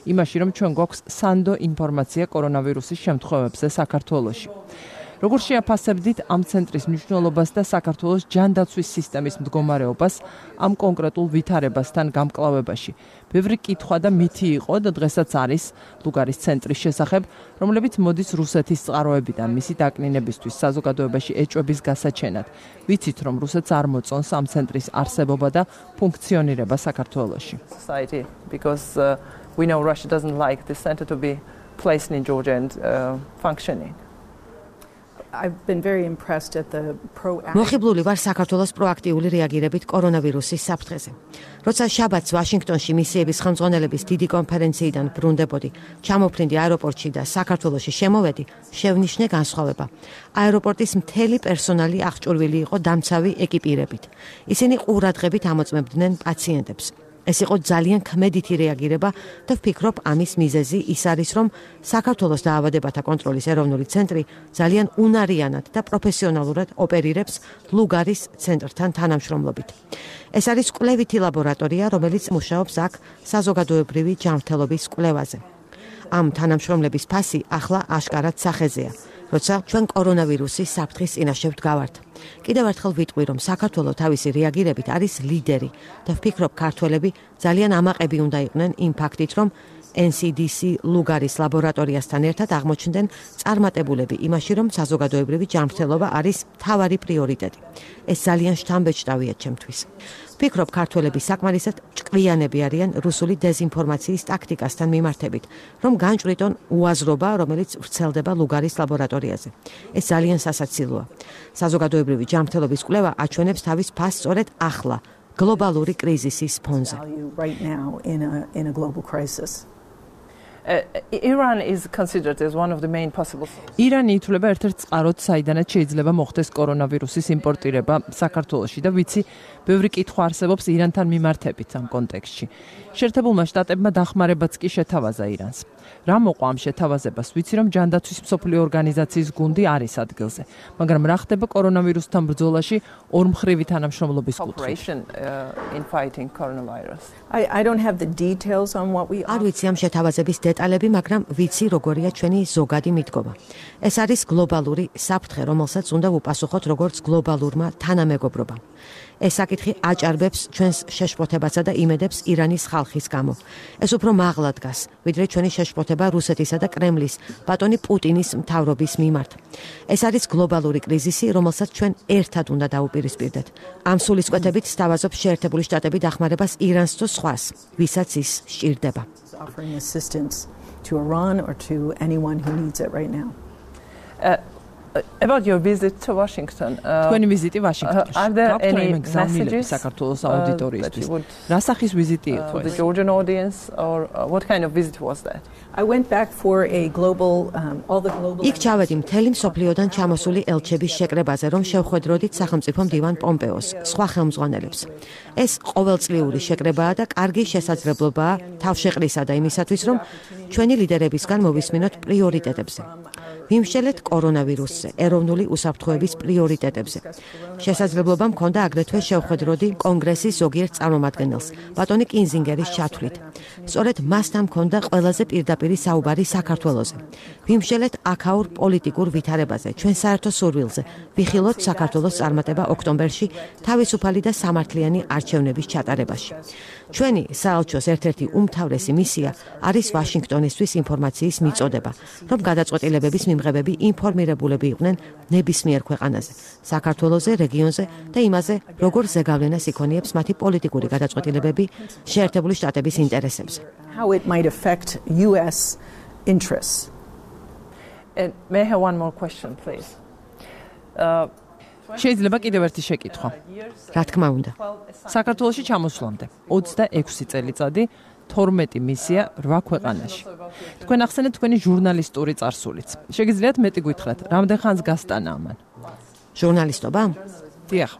იმაში, რომ ჩვენ გვაქვს სანდო ინფორმაცია კორონავირუსის შემთხვევებზე საქართველოში. როგორც შეაფასებდით ამ ცენტრის მნიშვნელობას და საქართველოს ჯანდაცვის სისტემის მდგომარეობას ამ კონკრეტულ ვითარებასთან გამკლავებაში? ბევრი კითხვა და მითი იყო და დღესაც არის ლუგარის ცენტრის შესახებ, რომლებიც მოდის რუსეთის წყაროებიდან მისი დაკნინებისთვის საზოგადოებაში ეჭვების გასაჩენად. ვიცით, რომ რუსეთს არ მოწონს ამ ცენტრის არსებობა და ფუნქციონირება საქართველოში. Because we know Russia doesn't like this center to be placed in Georgia and functioning. I've been very impressed at the proactive. მოხიბლული ვარ საქართველოს პროაქტიული რეაგირებით კორონავირუსის საფრთხეზე. როცა შაბათს ვაშინგტონში მისიების ხელმძღვანელების დიდი კონფერენციიდან ბრუნდებოდი, ჩამოფრინდი აეროპორტში და საქართველოში შემოვედი, შევნიშნე განსხვავება. აეროპორტის მთელი პერსონალი აღჭურვილი იყო დამცავი ეკიპირებით. ისინი ყურადღებით ამოწმებდნენ პაციენტებს. ეს იყო ძალიან ქმედითი რეაგირება და ვფიქრობ, ამის მიზეზი ის არის, რომ საქართველოს დაავადებათა კონტროლის ეროვნული ცენტრი ძალიან უნარიანად და პროფესიონალურად ოპერირებს ლუგარის ცენტრთან თანამშრომლობით. ეს არის კვლევითი ლაბორატორია, რომელიც მუშაობს აქ საზოგადოებრივი ჯანმრთელობის კვლევაზე. ამ თანამშრომლების ფასი ახლა აშკარად სახეზეა, როცა ჩვენ კორონავირუსის საფრთხის წინაშე ვდგავართ. კიდევ ერთხელ ვიტყვი, რომ საქართველო თავისი რეაგირებით არის ლიდერი და ვფიქრობ, ქართველები ძალიან ამაყები უნდა იყვნენ იმ ფაქტით, რომ NCDC ლუგარის ლაბორატორიასთან ერთად აღმოჩნდნენ წარმატებულები იმაში, რომ საზოგადოებრივი ჯანმრთელობა არის მთავარი პრიორიტეტი. ეს ძალიან შთამბეჭდავია ჩემთვის. ვფიქრობ, ქართველები საკმარისად ჭკვიანები არიან რუსული დეზინფორმაციის ტაქტიკასთან მიმართებით, რომ განჭვრიტონ უაზრობა, რომელიც ვრცელდება ლუგარის ლაბორატორიაზე. ეს ძალიან სასაცილოა. საზოგადოებრივი ჯანმრთელობის კვლევა აჩვენებს თავის ფასს სწორედ ახლა, გლობალური კრიზისის ფონზე. Iran is considered as one of the main possible sources. ირანი ითვლება ერთ-ერთ წყაროდ, საიდანაც შეიძლება მოხდეს კორონავირუსის იმპორტირება საქართველოში და ვიცი, ბევრი კითხვა არსებობს ირანთან მიმართებით ამ კონტექსტში. შეერთებულმა შტატებმა დახმარებაც კი შეთავაზა ირანს. რა მოყვა ამ შეთავაზებას? ვიცი, რომ ჯანდაცვის მსოფლიო ორგანიზაციის გუნდი არის ადგილზე, მაგრამ რა ხდება კორონავირუსთან ბრძოლაში ორმხრივი თანამშრომლობის კუთხით? I don't have the details on what we არ ვიცი ამ შეთავაზების დეტალები, მაგრამ ვიცი, როგორია ჩვენი ზოგადი მიდგომა. ეს არის გლობალური საფრთხე, რომელსაც უნდა ვუპასუხოთ როგორც გლობალურმა თანამეგობრობამ. ეს საკითხი აჭარბებს ჩვენს შეშფოთებასა და იმედებს ირანის ხალხის გამო. ეს უფრო მაღლა დგას, ვიდრე ჩვენი შეშფოთება რუსეთისა და კრემლის, ბატონი პუტინის მთავრობის მიმართ. ეს არის გლობალური კრიზისი, რომელსაც ჩვენ ერთად უნდა დაუპირისპირდეთ. ამ სულისკვეთებით სთავაზობ შეერთებული შტატები დახმარებას ირანს თუ სხვას, ვისაც ის სჭირდება. offering assistance to Iran or to anyone who needs it right now. About your visit to Washington. თქვენი ვიზიტი ვაშინგტონში. Are there any messages საქართველოს აუდიტორიისთვის? რა სახის ვიზიტი იყო ეს? The Georgian audience or what kind of visit was that? I went back for a global all the global იქ ჩავედი მთელი მსოფლიოდან ჩამოსული ელჩების შეკრებაზე, რომ შევხვედროდით სახელმწიფო მდივან პომპეოს, სხვა ხელმძღვანელებს. ეს ყოველწლიური შეკრებაა და კარგი შესაძლებლობაა თავშეყრისა და იმისათვის, რომ ჩვენი ლიდერებისგან მოვისმინოთ პრიორიტეტებზე. ვიმსჯელეთ კორონავირუსზე, ეროვნული უსაფრთხოების პრიორიტეტებზე. შესაძლებლობა მქონდა აგრეთვე შევხვედროდი კონგრესის ზოგიერთ წარმომადგენელს, ბატონი კინზინგერის ჩათვლით. სწორედ მასთან მქონდა ყველაზე პირდაპირი საუბარი საქართველოზე. ვიმსჯელეთ აქაურ პოლიტიკურ ვითარებაზე, ჩვენ საერთო სურვილზე, ვიხილოთ საქართველოს წარმატება ოქტომბერში თავისუფალი და სამართლიანი არჩევნების ჩატარებაში. ჩვენი საელჩოს ერთ-ერთი უმთავრესი მისია არის ვაშინგტონისთვის ინფორმაციის მიწოდება, რომ გადაწყვეტილებების მიმღებები ინფორმირებულები იყვნენ ნებისმიერ ქვეყანაზე, საქართველოზე, რეგიონზე და იმაზე, როგორ ზეგავლენას იქონიებს მათი პოლიტიკური გადაწყვეტილებები შეერთებული შტატების ინტერესებზე. how it might affect US interests. And may I have one more question, please? შეიძლება კიდევ ერთი შეკითხვა. რა თქმა უნდა. საქართველოში ჩამოსვლამდე 26 წელიწადი 12 მისია 8 ქვეყანაში. თქვენ ახსენეთ თქვენი ჟურნალისტური წარსულიც. შეგიძლიათ მეტი გითხრათ, რამდენ ხანს გასტანა ამან? ჟურნალისტობა? დიახ.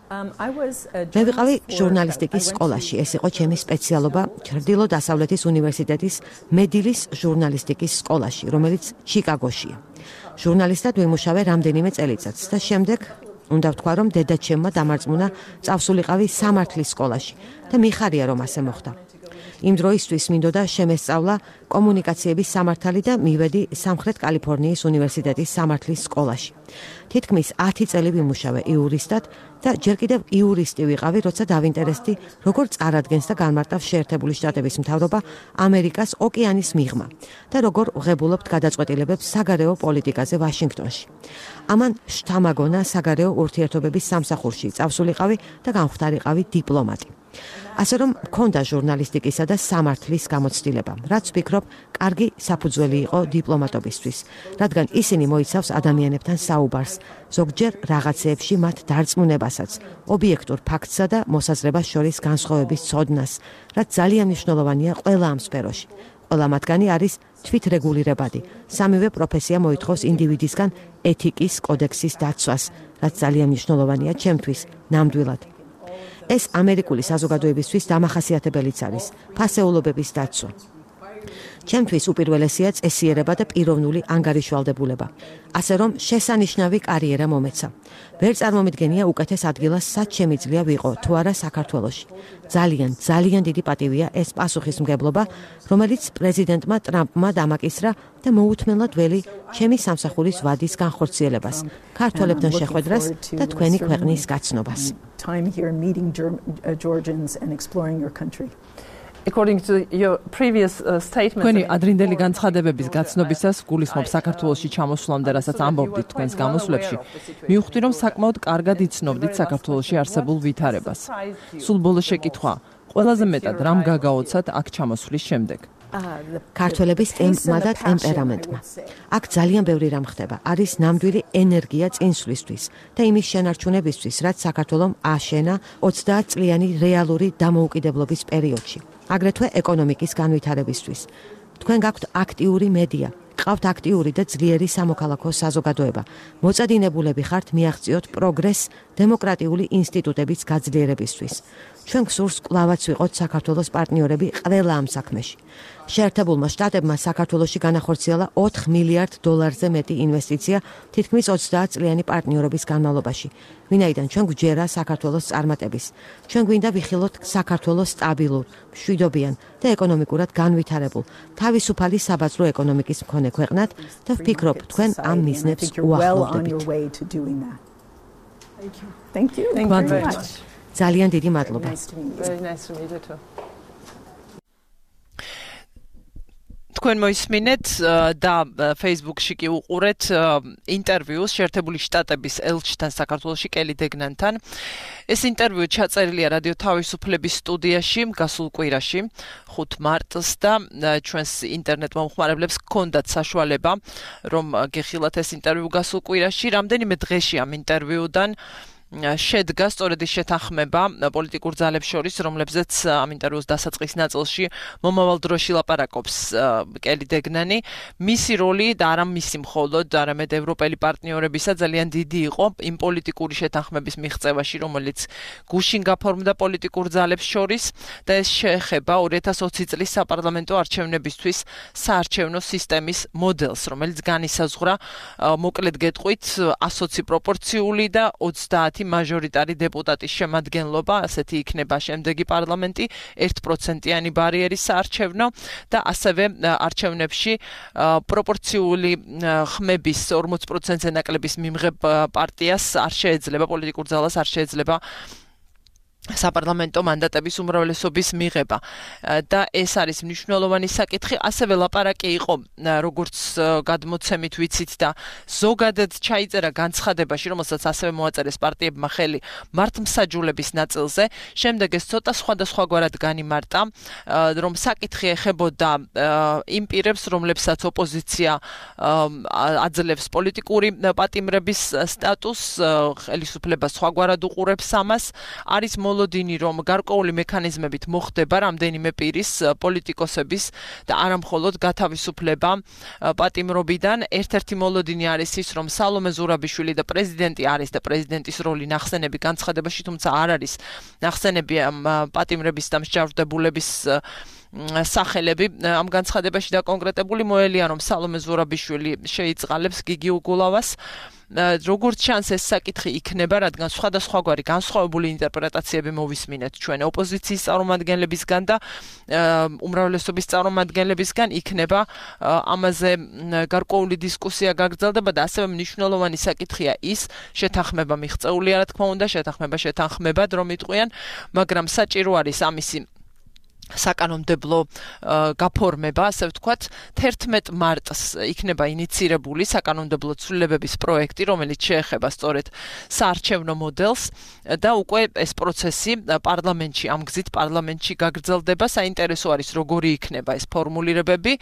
მე ვიყავი ჟურნალისტიკის სკოლაში, ეს იყო ჩემი სპეციალობა ჩრდილო-დასავლეთის უნივერსიტეტის მედილის ჟურნალისტიკის სკოლაში, რომელიც ჩიკაგოშია. ჟურნალისტად ვიმუშავე რამდენიმე წელიწადს და შემდეგ უნდა ვთქვა, რომ დედაჩემმა დამარწმუნა წავსულიყავი სამართლის სკოლაში და მიხარია, რომ ასე მოხდა. იმ დროისთვის მინდოდა შემესწავლა კომუნიკაციების სამართალი და მივედი სამხრეთ კალიფორნიის უნივერსიტეტის სამართლის სკოლაში. თითქმის 10 წელი ვიმუშავე იურისტად და ჯერ კიდევ იურისტი ვიყავი, როცა დავინტერესდი, როგორ წარადგენს და განმარტავს შეერთებული შტატების მთავრობა ამერიკას ოკეანის მიღმა და როგორ ვღებულობთ გადაწყვეტილებებს საგარეო პოლიტიკაზე ვაშინგტონში. ამან შთამაგონა საგარეო ურთიერთობების სამსახურში წავსულიყავი და განხვდარიყავი დიპლომატი. ასე რომ მქონდა ჟურნალისტიკისა და სამართლის გამოცდილება, რაც ვფიქრობ, კარგი საფუძველი იყო დიპლომატობისთვის, რადგან ისინი მოიცავს ადამიანებთან საუბარს, ზოგჯერ რაღაცეებში მათ დარწმუნებასაც, ობიექტურ ფაქტსა და მოსაზრებას შორის განსხვავების ცოდნას, რაც ძალიან მნიშვნელოვანია ყველა ამ სფეროში. ყველა მათგანი არის თვითრეგულირებადი. სამივე პროფესია მოითხოვს ინდივიდისგან ეთიკის კოდექსის დაცვას, რაც ძალიან მნიშვნელოვანია ჩემთვის ნამდვილად. ეს ამერიკული საზოგადოებისთვის დამახასიათებელიც არის ფასეულობების დაცვა. ჩემთვის უპირველესია წესიერება და პიროვნული ანგარიშვალდებულება, ასე რომ შესანიშნავი კარიერა მომეცა. ვერ წარმომიდგენია უკეთეს ადგილას სად შემიძლია ვიყო თუ არა საქართველოში. ძალიან დიდი პატივია ეს პასუხისმგებლობა, რომელიც პრეზიდენტმა ტრამპმა დამაკისრა და მოუთმენლად ველი ჩემი სამსახურის ვადის განხორციელებას, ქართველებთან შეხვედრას და თქვენი ქვეყნის გაცნობას. According to your previous statement, თქვენი ადრინდელი განცხადებების გაცნობისას გულისხმობ საქართველოში ჩამოსვლამდე, რასაც ამბობდით თქვენს გამოსვლებში, მივხვდი, რომ საკმაოდ კარგად იცნობდით საქართველოში არსებულ ვითარებას. სულ ბოლო შეკითხვა, ყველაზე მეტად რამ გაგაოცათ აქ ჩამოსვლის შემდეგ? ქართველების ტემპმა და ტემპერამენტმა. აქ ძალიან ბევრი რამ ხდება. არის ნამდვილი ენერგია წინსვლისთვის და იმის შენარჩუნებისთვის, რაც საქართველომ აშენა 30 წლიანი რეალური დამოუკიდებლობის პერიოდში. აგრეთვე ეკონომიკის განვითარებისთვის. თქვენ გაქვთ აქტიური მედია, ყავთ აქტიური და ძლიერი სამოქალაქო საზოგადოება. მოწადინებულები ხართ მიაღწიოთ პროგრესს დემოკრატიული ინსტიტუტების გაძლიერებისთვის. ჩვენ გსურს კვლავაც ვიყოთ საქართველოს პარტნიორები ყველა ამ საქმეში. შეერთებულმა შტატებმა საქართველოში განახორციელა $4 მილიარდ-ზე მეტი ინვესტიცია თითქმის 30 წლიანი პარტნიორობის განმავლობაში. ვინაიდან ჩვენ გვჯერა საქართველოს წარმატების. ჩვენ გვინდა ვიხილოთ საქართველოს სტაბილურ, მშვიდობიან და ეკონომიკურად განვითარებულ, თავისუფალი საბაზრო ეკონომიკის მქონე ქვეყნად და ვფიქრობ, თქვენ ამ მიზნებს უახლოვდებით. Thank you. ძალიან დიდი მადლობა. თქვენ მოისმინეთ და Facebook-ში კი უყურეთ ინტერვიუს შეერთებული შტატების ელჩთან საქართველოში კელი დეგნანთან. ეს ინტერვიუ ჩაწერილია რადიო თავისუფლების სტუდიაში გასულ კვირაში 5 მარტს და ჩვენს ინტერნეტ მომხმარებლებს გქონდათ საშუალება რომ გეხილათ ეს ინტერვიუ გასულ კვირაში. რამდენიმე დღეში ამ ინტერვიუდან შედგა სწორედ ის შეთანხმება პოლიტიკურ ძალებს შორის, რომლებზეც ამ ინტერვიუს დასაწყის ნაწილში მომავალ დროში ლაპარაკობს კელი დეგნანი. მისი როლი და არა მისი მხოლოდ, არამედ ევროპელი პარტნიორებისა ძალიან დიდი იყო იმ პოლიტიკური შეთანხმების მიღწევაში, რომელიც გუშინ გაფორმდა პოლიტიკურ ძალებს შორის და ეს შეეხება 2020 წლის საპარლამენტო არჩევნებისთვის საარჩევნო სისტემის მოდელს, რომელიც განისაზღვრა მოკლედ გეტყვით 120 პროპორციული და 30 მაჟორიტარი დეპუტატის შემადგენლობა, ასეთი იქნება შემდეგი პარლამენტი, 1%-იანი ბარიერის საარჩევნო და ასევე არჩევნებში პროპორციული ხმების 40%-ზე ნაკლების მიმღებ პარტიას არ შეეძლება, პოლიტიკურ ძალას არ შეეძლება საპარლამენტო მანდატების უმრავლესობის მიღება და ეს არის მნიშვნელოვანი საკითხი. ასევე ლაპარაკი იყო, როგორც გადმოცემით ვიცით და ზოგადად ჩაიწერა განცხადებაში, რომელსაც ასევე მოაწერეს პარტიებმა ხელი მართლმსაჯულების ნაწილზე. შემდეგ ეს ცოტა სხვადასხვაგვარად განიმარტა, რომ საკითხი ეხებოდა იმ პირებს, რომლებსაც ოპოზიცია აძლევს პოლიტიკური პატიმრების სტატუსს, ხელისუფლებას სხვაგვარად უყურებს ამას. არის მოლოდინი, რომ გარკვეული მექანიზმებით მოხდება რამდენიმე პირის, პოლიტიკოსების და არა მხოლოდ გათავისუფლება პატიმრობიდან. ერთ-ერთი მოლოდინი არის ის, რომ სალომე ზურაბიშვილი და პრეზიდენტი არის და პრეზიდენტის როლი ნახსენები განცხადებაში, თუმცა არ არის ნახსენები პატიმრების და მსჯავრდებულების სახელები ამ განცხადებაში დაკონკრეტებული. მოელია, რომ სალომე ზურაბიშვილი შეიწყალებს გიგი უგულავას. როგორც ჩანს ეს საკითხი იქნება, რადგან სხვადასხვაგვარი განსხვავებული ინტერპრეტაციები მოვისმინეთ ჩვენ ოპოზიციის წარმომადგენლებისგან და უმრავლესობის წარმომადგენლებისგან, იქნება ამაზე გარკვეული დისკუსია გაგრძელდება და ასევე მნიშვნელოვანი საკითხია ის, შეთანხმება მიღწეულია, რა თქმა უნდა, შეთანხმებად რომ იტყვიან, მაგრამ საჭირო არის ამისი საკანონმდებლო გაფორმება, ასე ვთქვათ, 11 მარტს იქნება ინიცირებული საკანონმდებლო ცვლილებების პროექტი, რომელიც შეეხება სწორედ საარჩევნო მოდელს და უკვე ეს პროცესი პარლამენტში, ამ გზით პარლამენტში გაგრძელდება. საინტერესო არის, როგორი იქნება ეს ფორმულირებები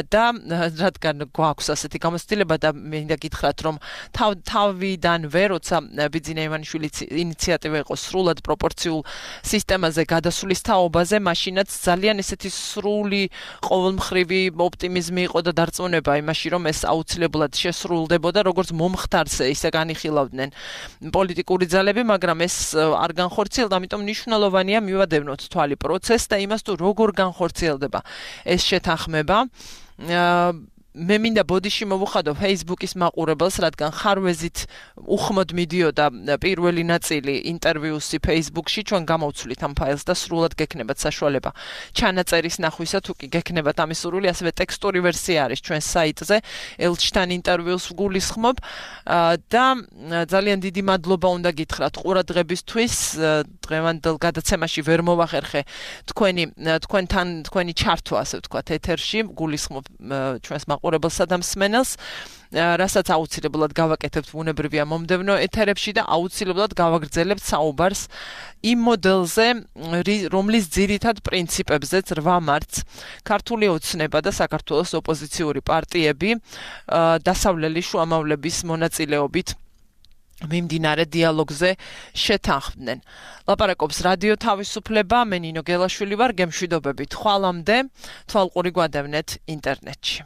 და რადგან გვაქვს ასეთი გამოცდილება და მინდა გითხრათ, რომ თავიდანვე, როცა ბიძინა ივანიშვილის ინიციატივა იყო სრულად პროპორციულ სისტემაზე გადასulis თაობაზე, მაშინ ვინაც ძალიან ესეთი სრული ყოველმხრივი ოპტიმიზმი იყო და დარწმუნება იმაში, რომ ეს აუცილებლად შესრულდებოდა, როგორც მომხდარს ისე განიხილავდნენ პოლიტიკური ძალები, მაგრამ ეს არ განხორციელდა, ამიტომ მნიშვნელოვანია მივადევნოთ თვალი პროცესს და იმას თუ როგორ განხორციელდება ეს შეთანხმება. მე მინდა ბოდიში მოვუხადო Facebook-ის მაყურებელს, რადგან ხარვეზით უხმოდ მიდიოდა პირველი ნაწილი ინტერვიუსი Facebook-ში, ჩვენ გამოვცვლით ამ ფაილს და სრულად გექნებათ საშუალება ჩანაწერის ნახვისა, თუ კი გექნებათ ამის სურვილი, ასევე ტექსტური ვერსია არის ჩვენ საიტზე, ელჩთან ინტერვიუს ვგულისხმობ და ძალიან დიდი მადლობა უნდა გითხრათ ყურადღებისთვის. დღევანდელ გადაცემაში ვერ მოვახერხე თქვენი ჩართვა, ასე ვთქვათ, ეთერში, ვგულისხმობ ჩვენს მაყურებელსა და მსმენელს, რასაც აუცილებლად გავაკეთებთ ბუნებრივია მომდევნო ეთერებში და აუცილებლად გავაგრძელებთ საუბარს იმ მოდელზე, რომლის ძირითად პრინციპებზეც 8 მარტს ქართული ოცნება და საქართველოს ოპოზიციური პარტიები დასავლელი შუამავლების მონაწილეობით მიმდინარე დიალოგზე შეთანხმდნენ. ლაპარაკობს რადიო თავისუფლება, მე ნინო გელაშვილი ვარ, გემშვიდობებით ხვალამდე, თვალყური გვადევნეთ ინტერნეტში.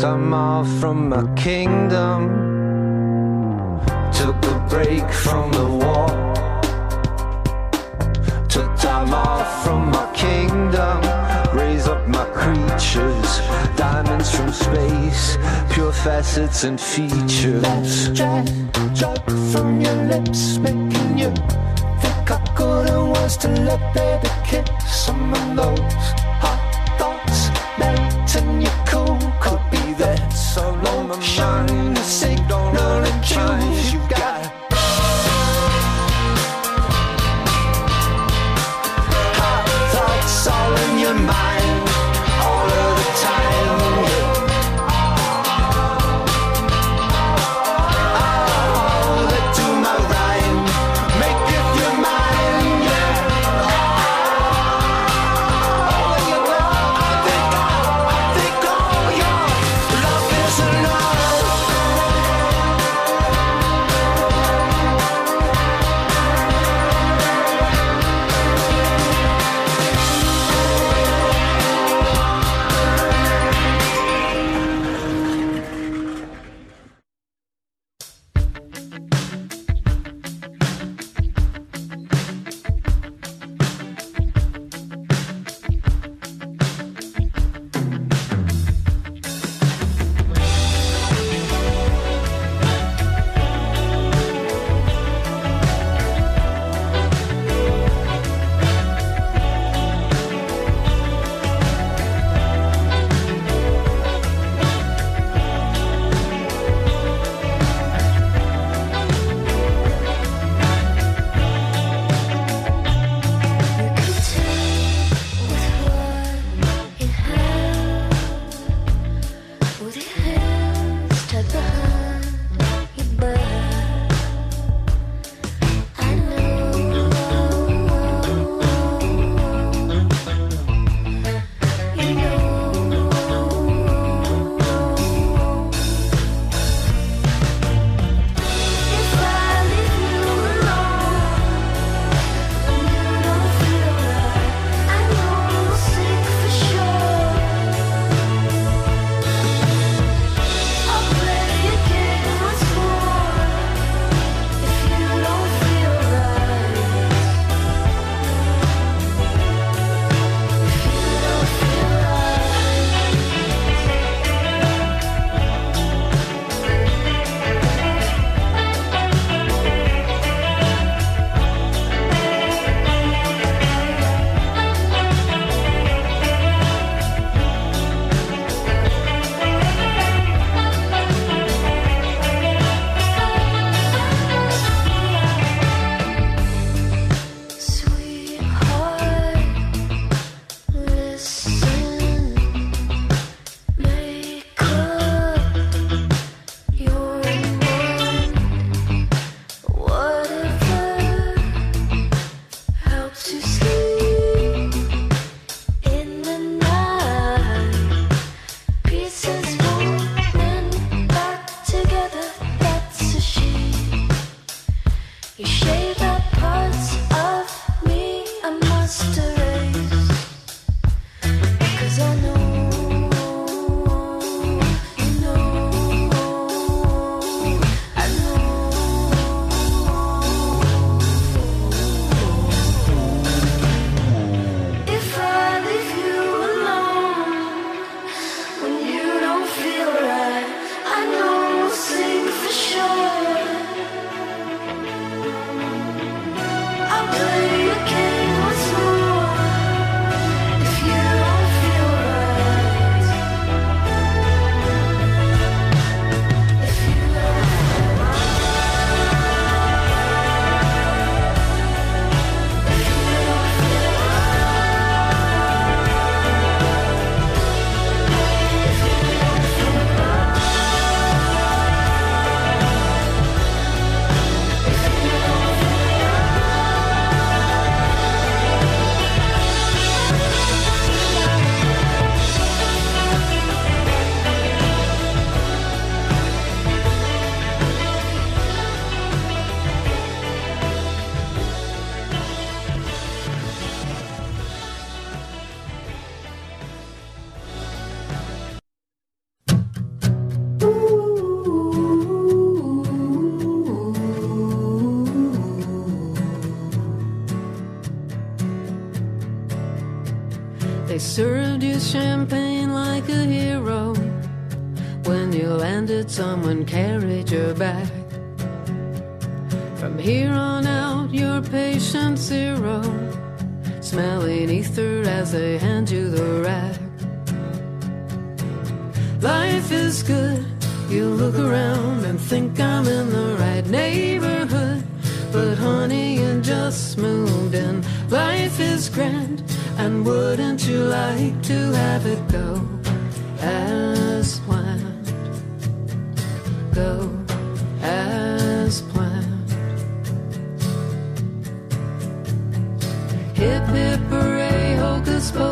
Time off from my kingdom, took a break from the war, took time off from my kingdom, raise up my creatures, diamonds from space, pure facets and features. Drop from your lips, making you think I couldn't was to let baby kiss some of those hot thoughts melting your cool. Could be that so long my mind is signal and choose you got hot thoughts all in your mind all of the time. Oh, they do my rhyme, make it your mind, yeah. I think all your love is enough. served you champagne like a hero. When you landed, someone carried your bag. From here on out, you're patient zero, smelling ether as they hand you the rag. Life is good. You look around and think I'm in the right neighborhood, but honey, you just moved in. Life is grand, and wouldn't you like to have it go as planned? Go as planned. Hip hip hooray, hocus pocus.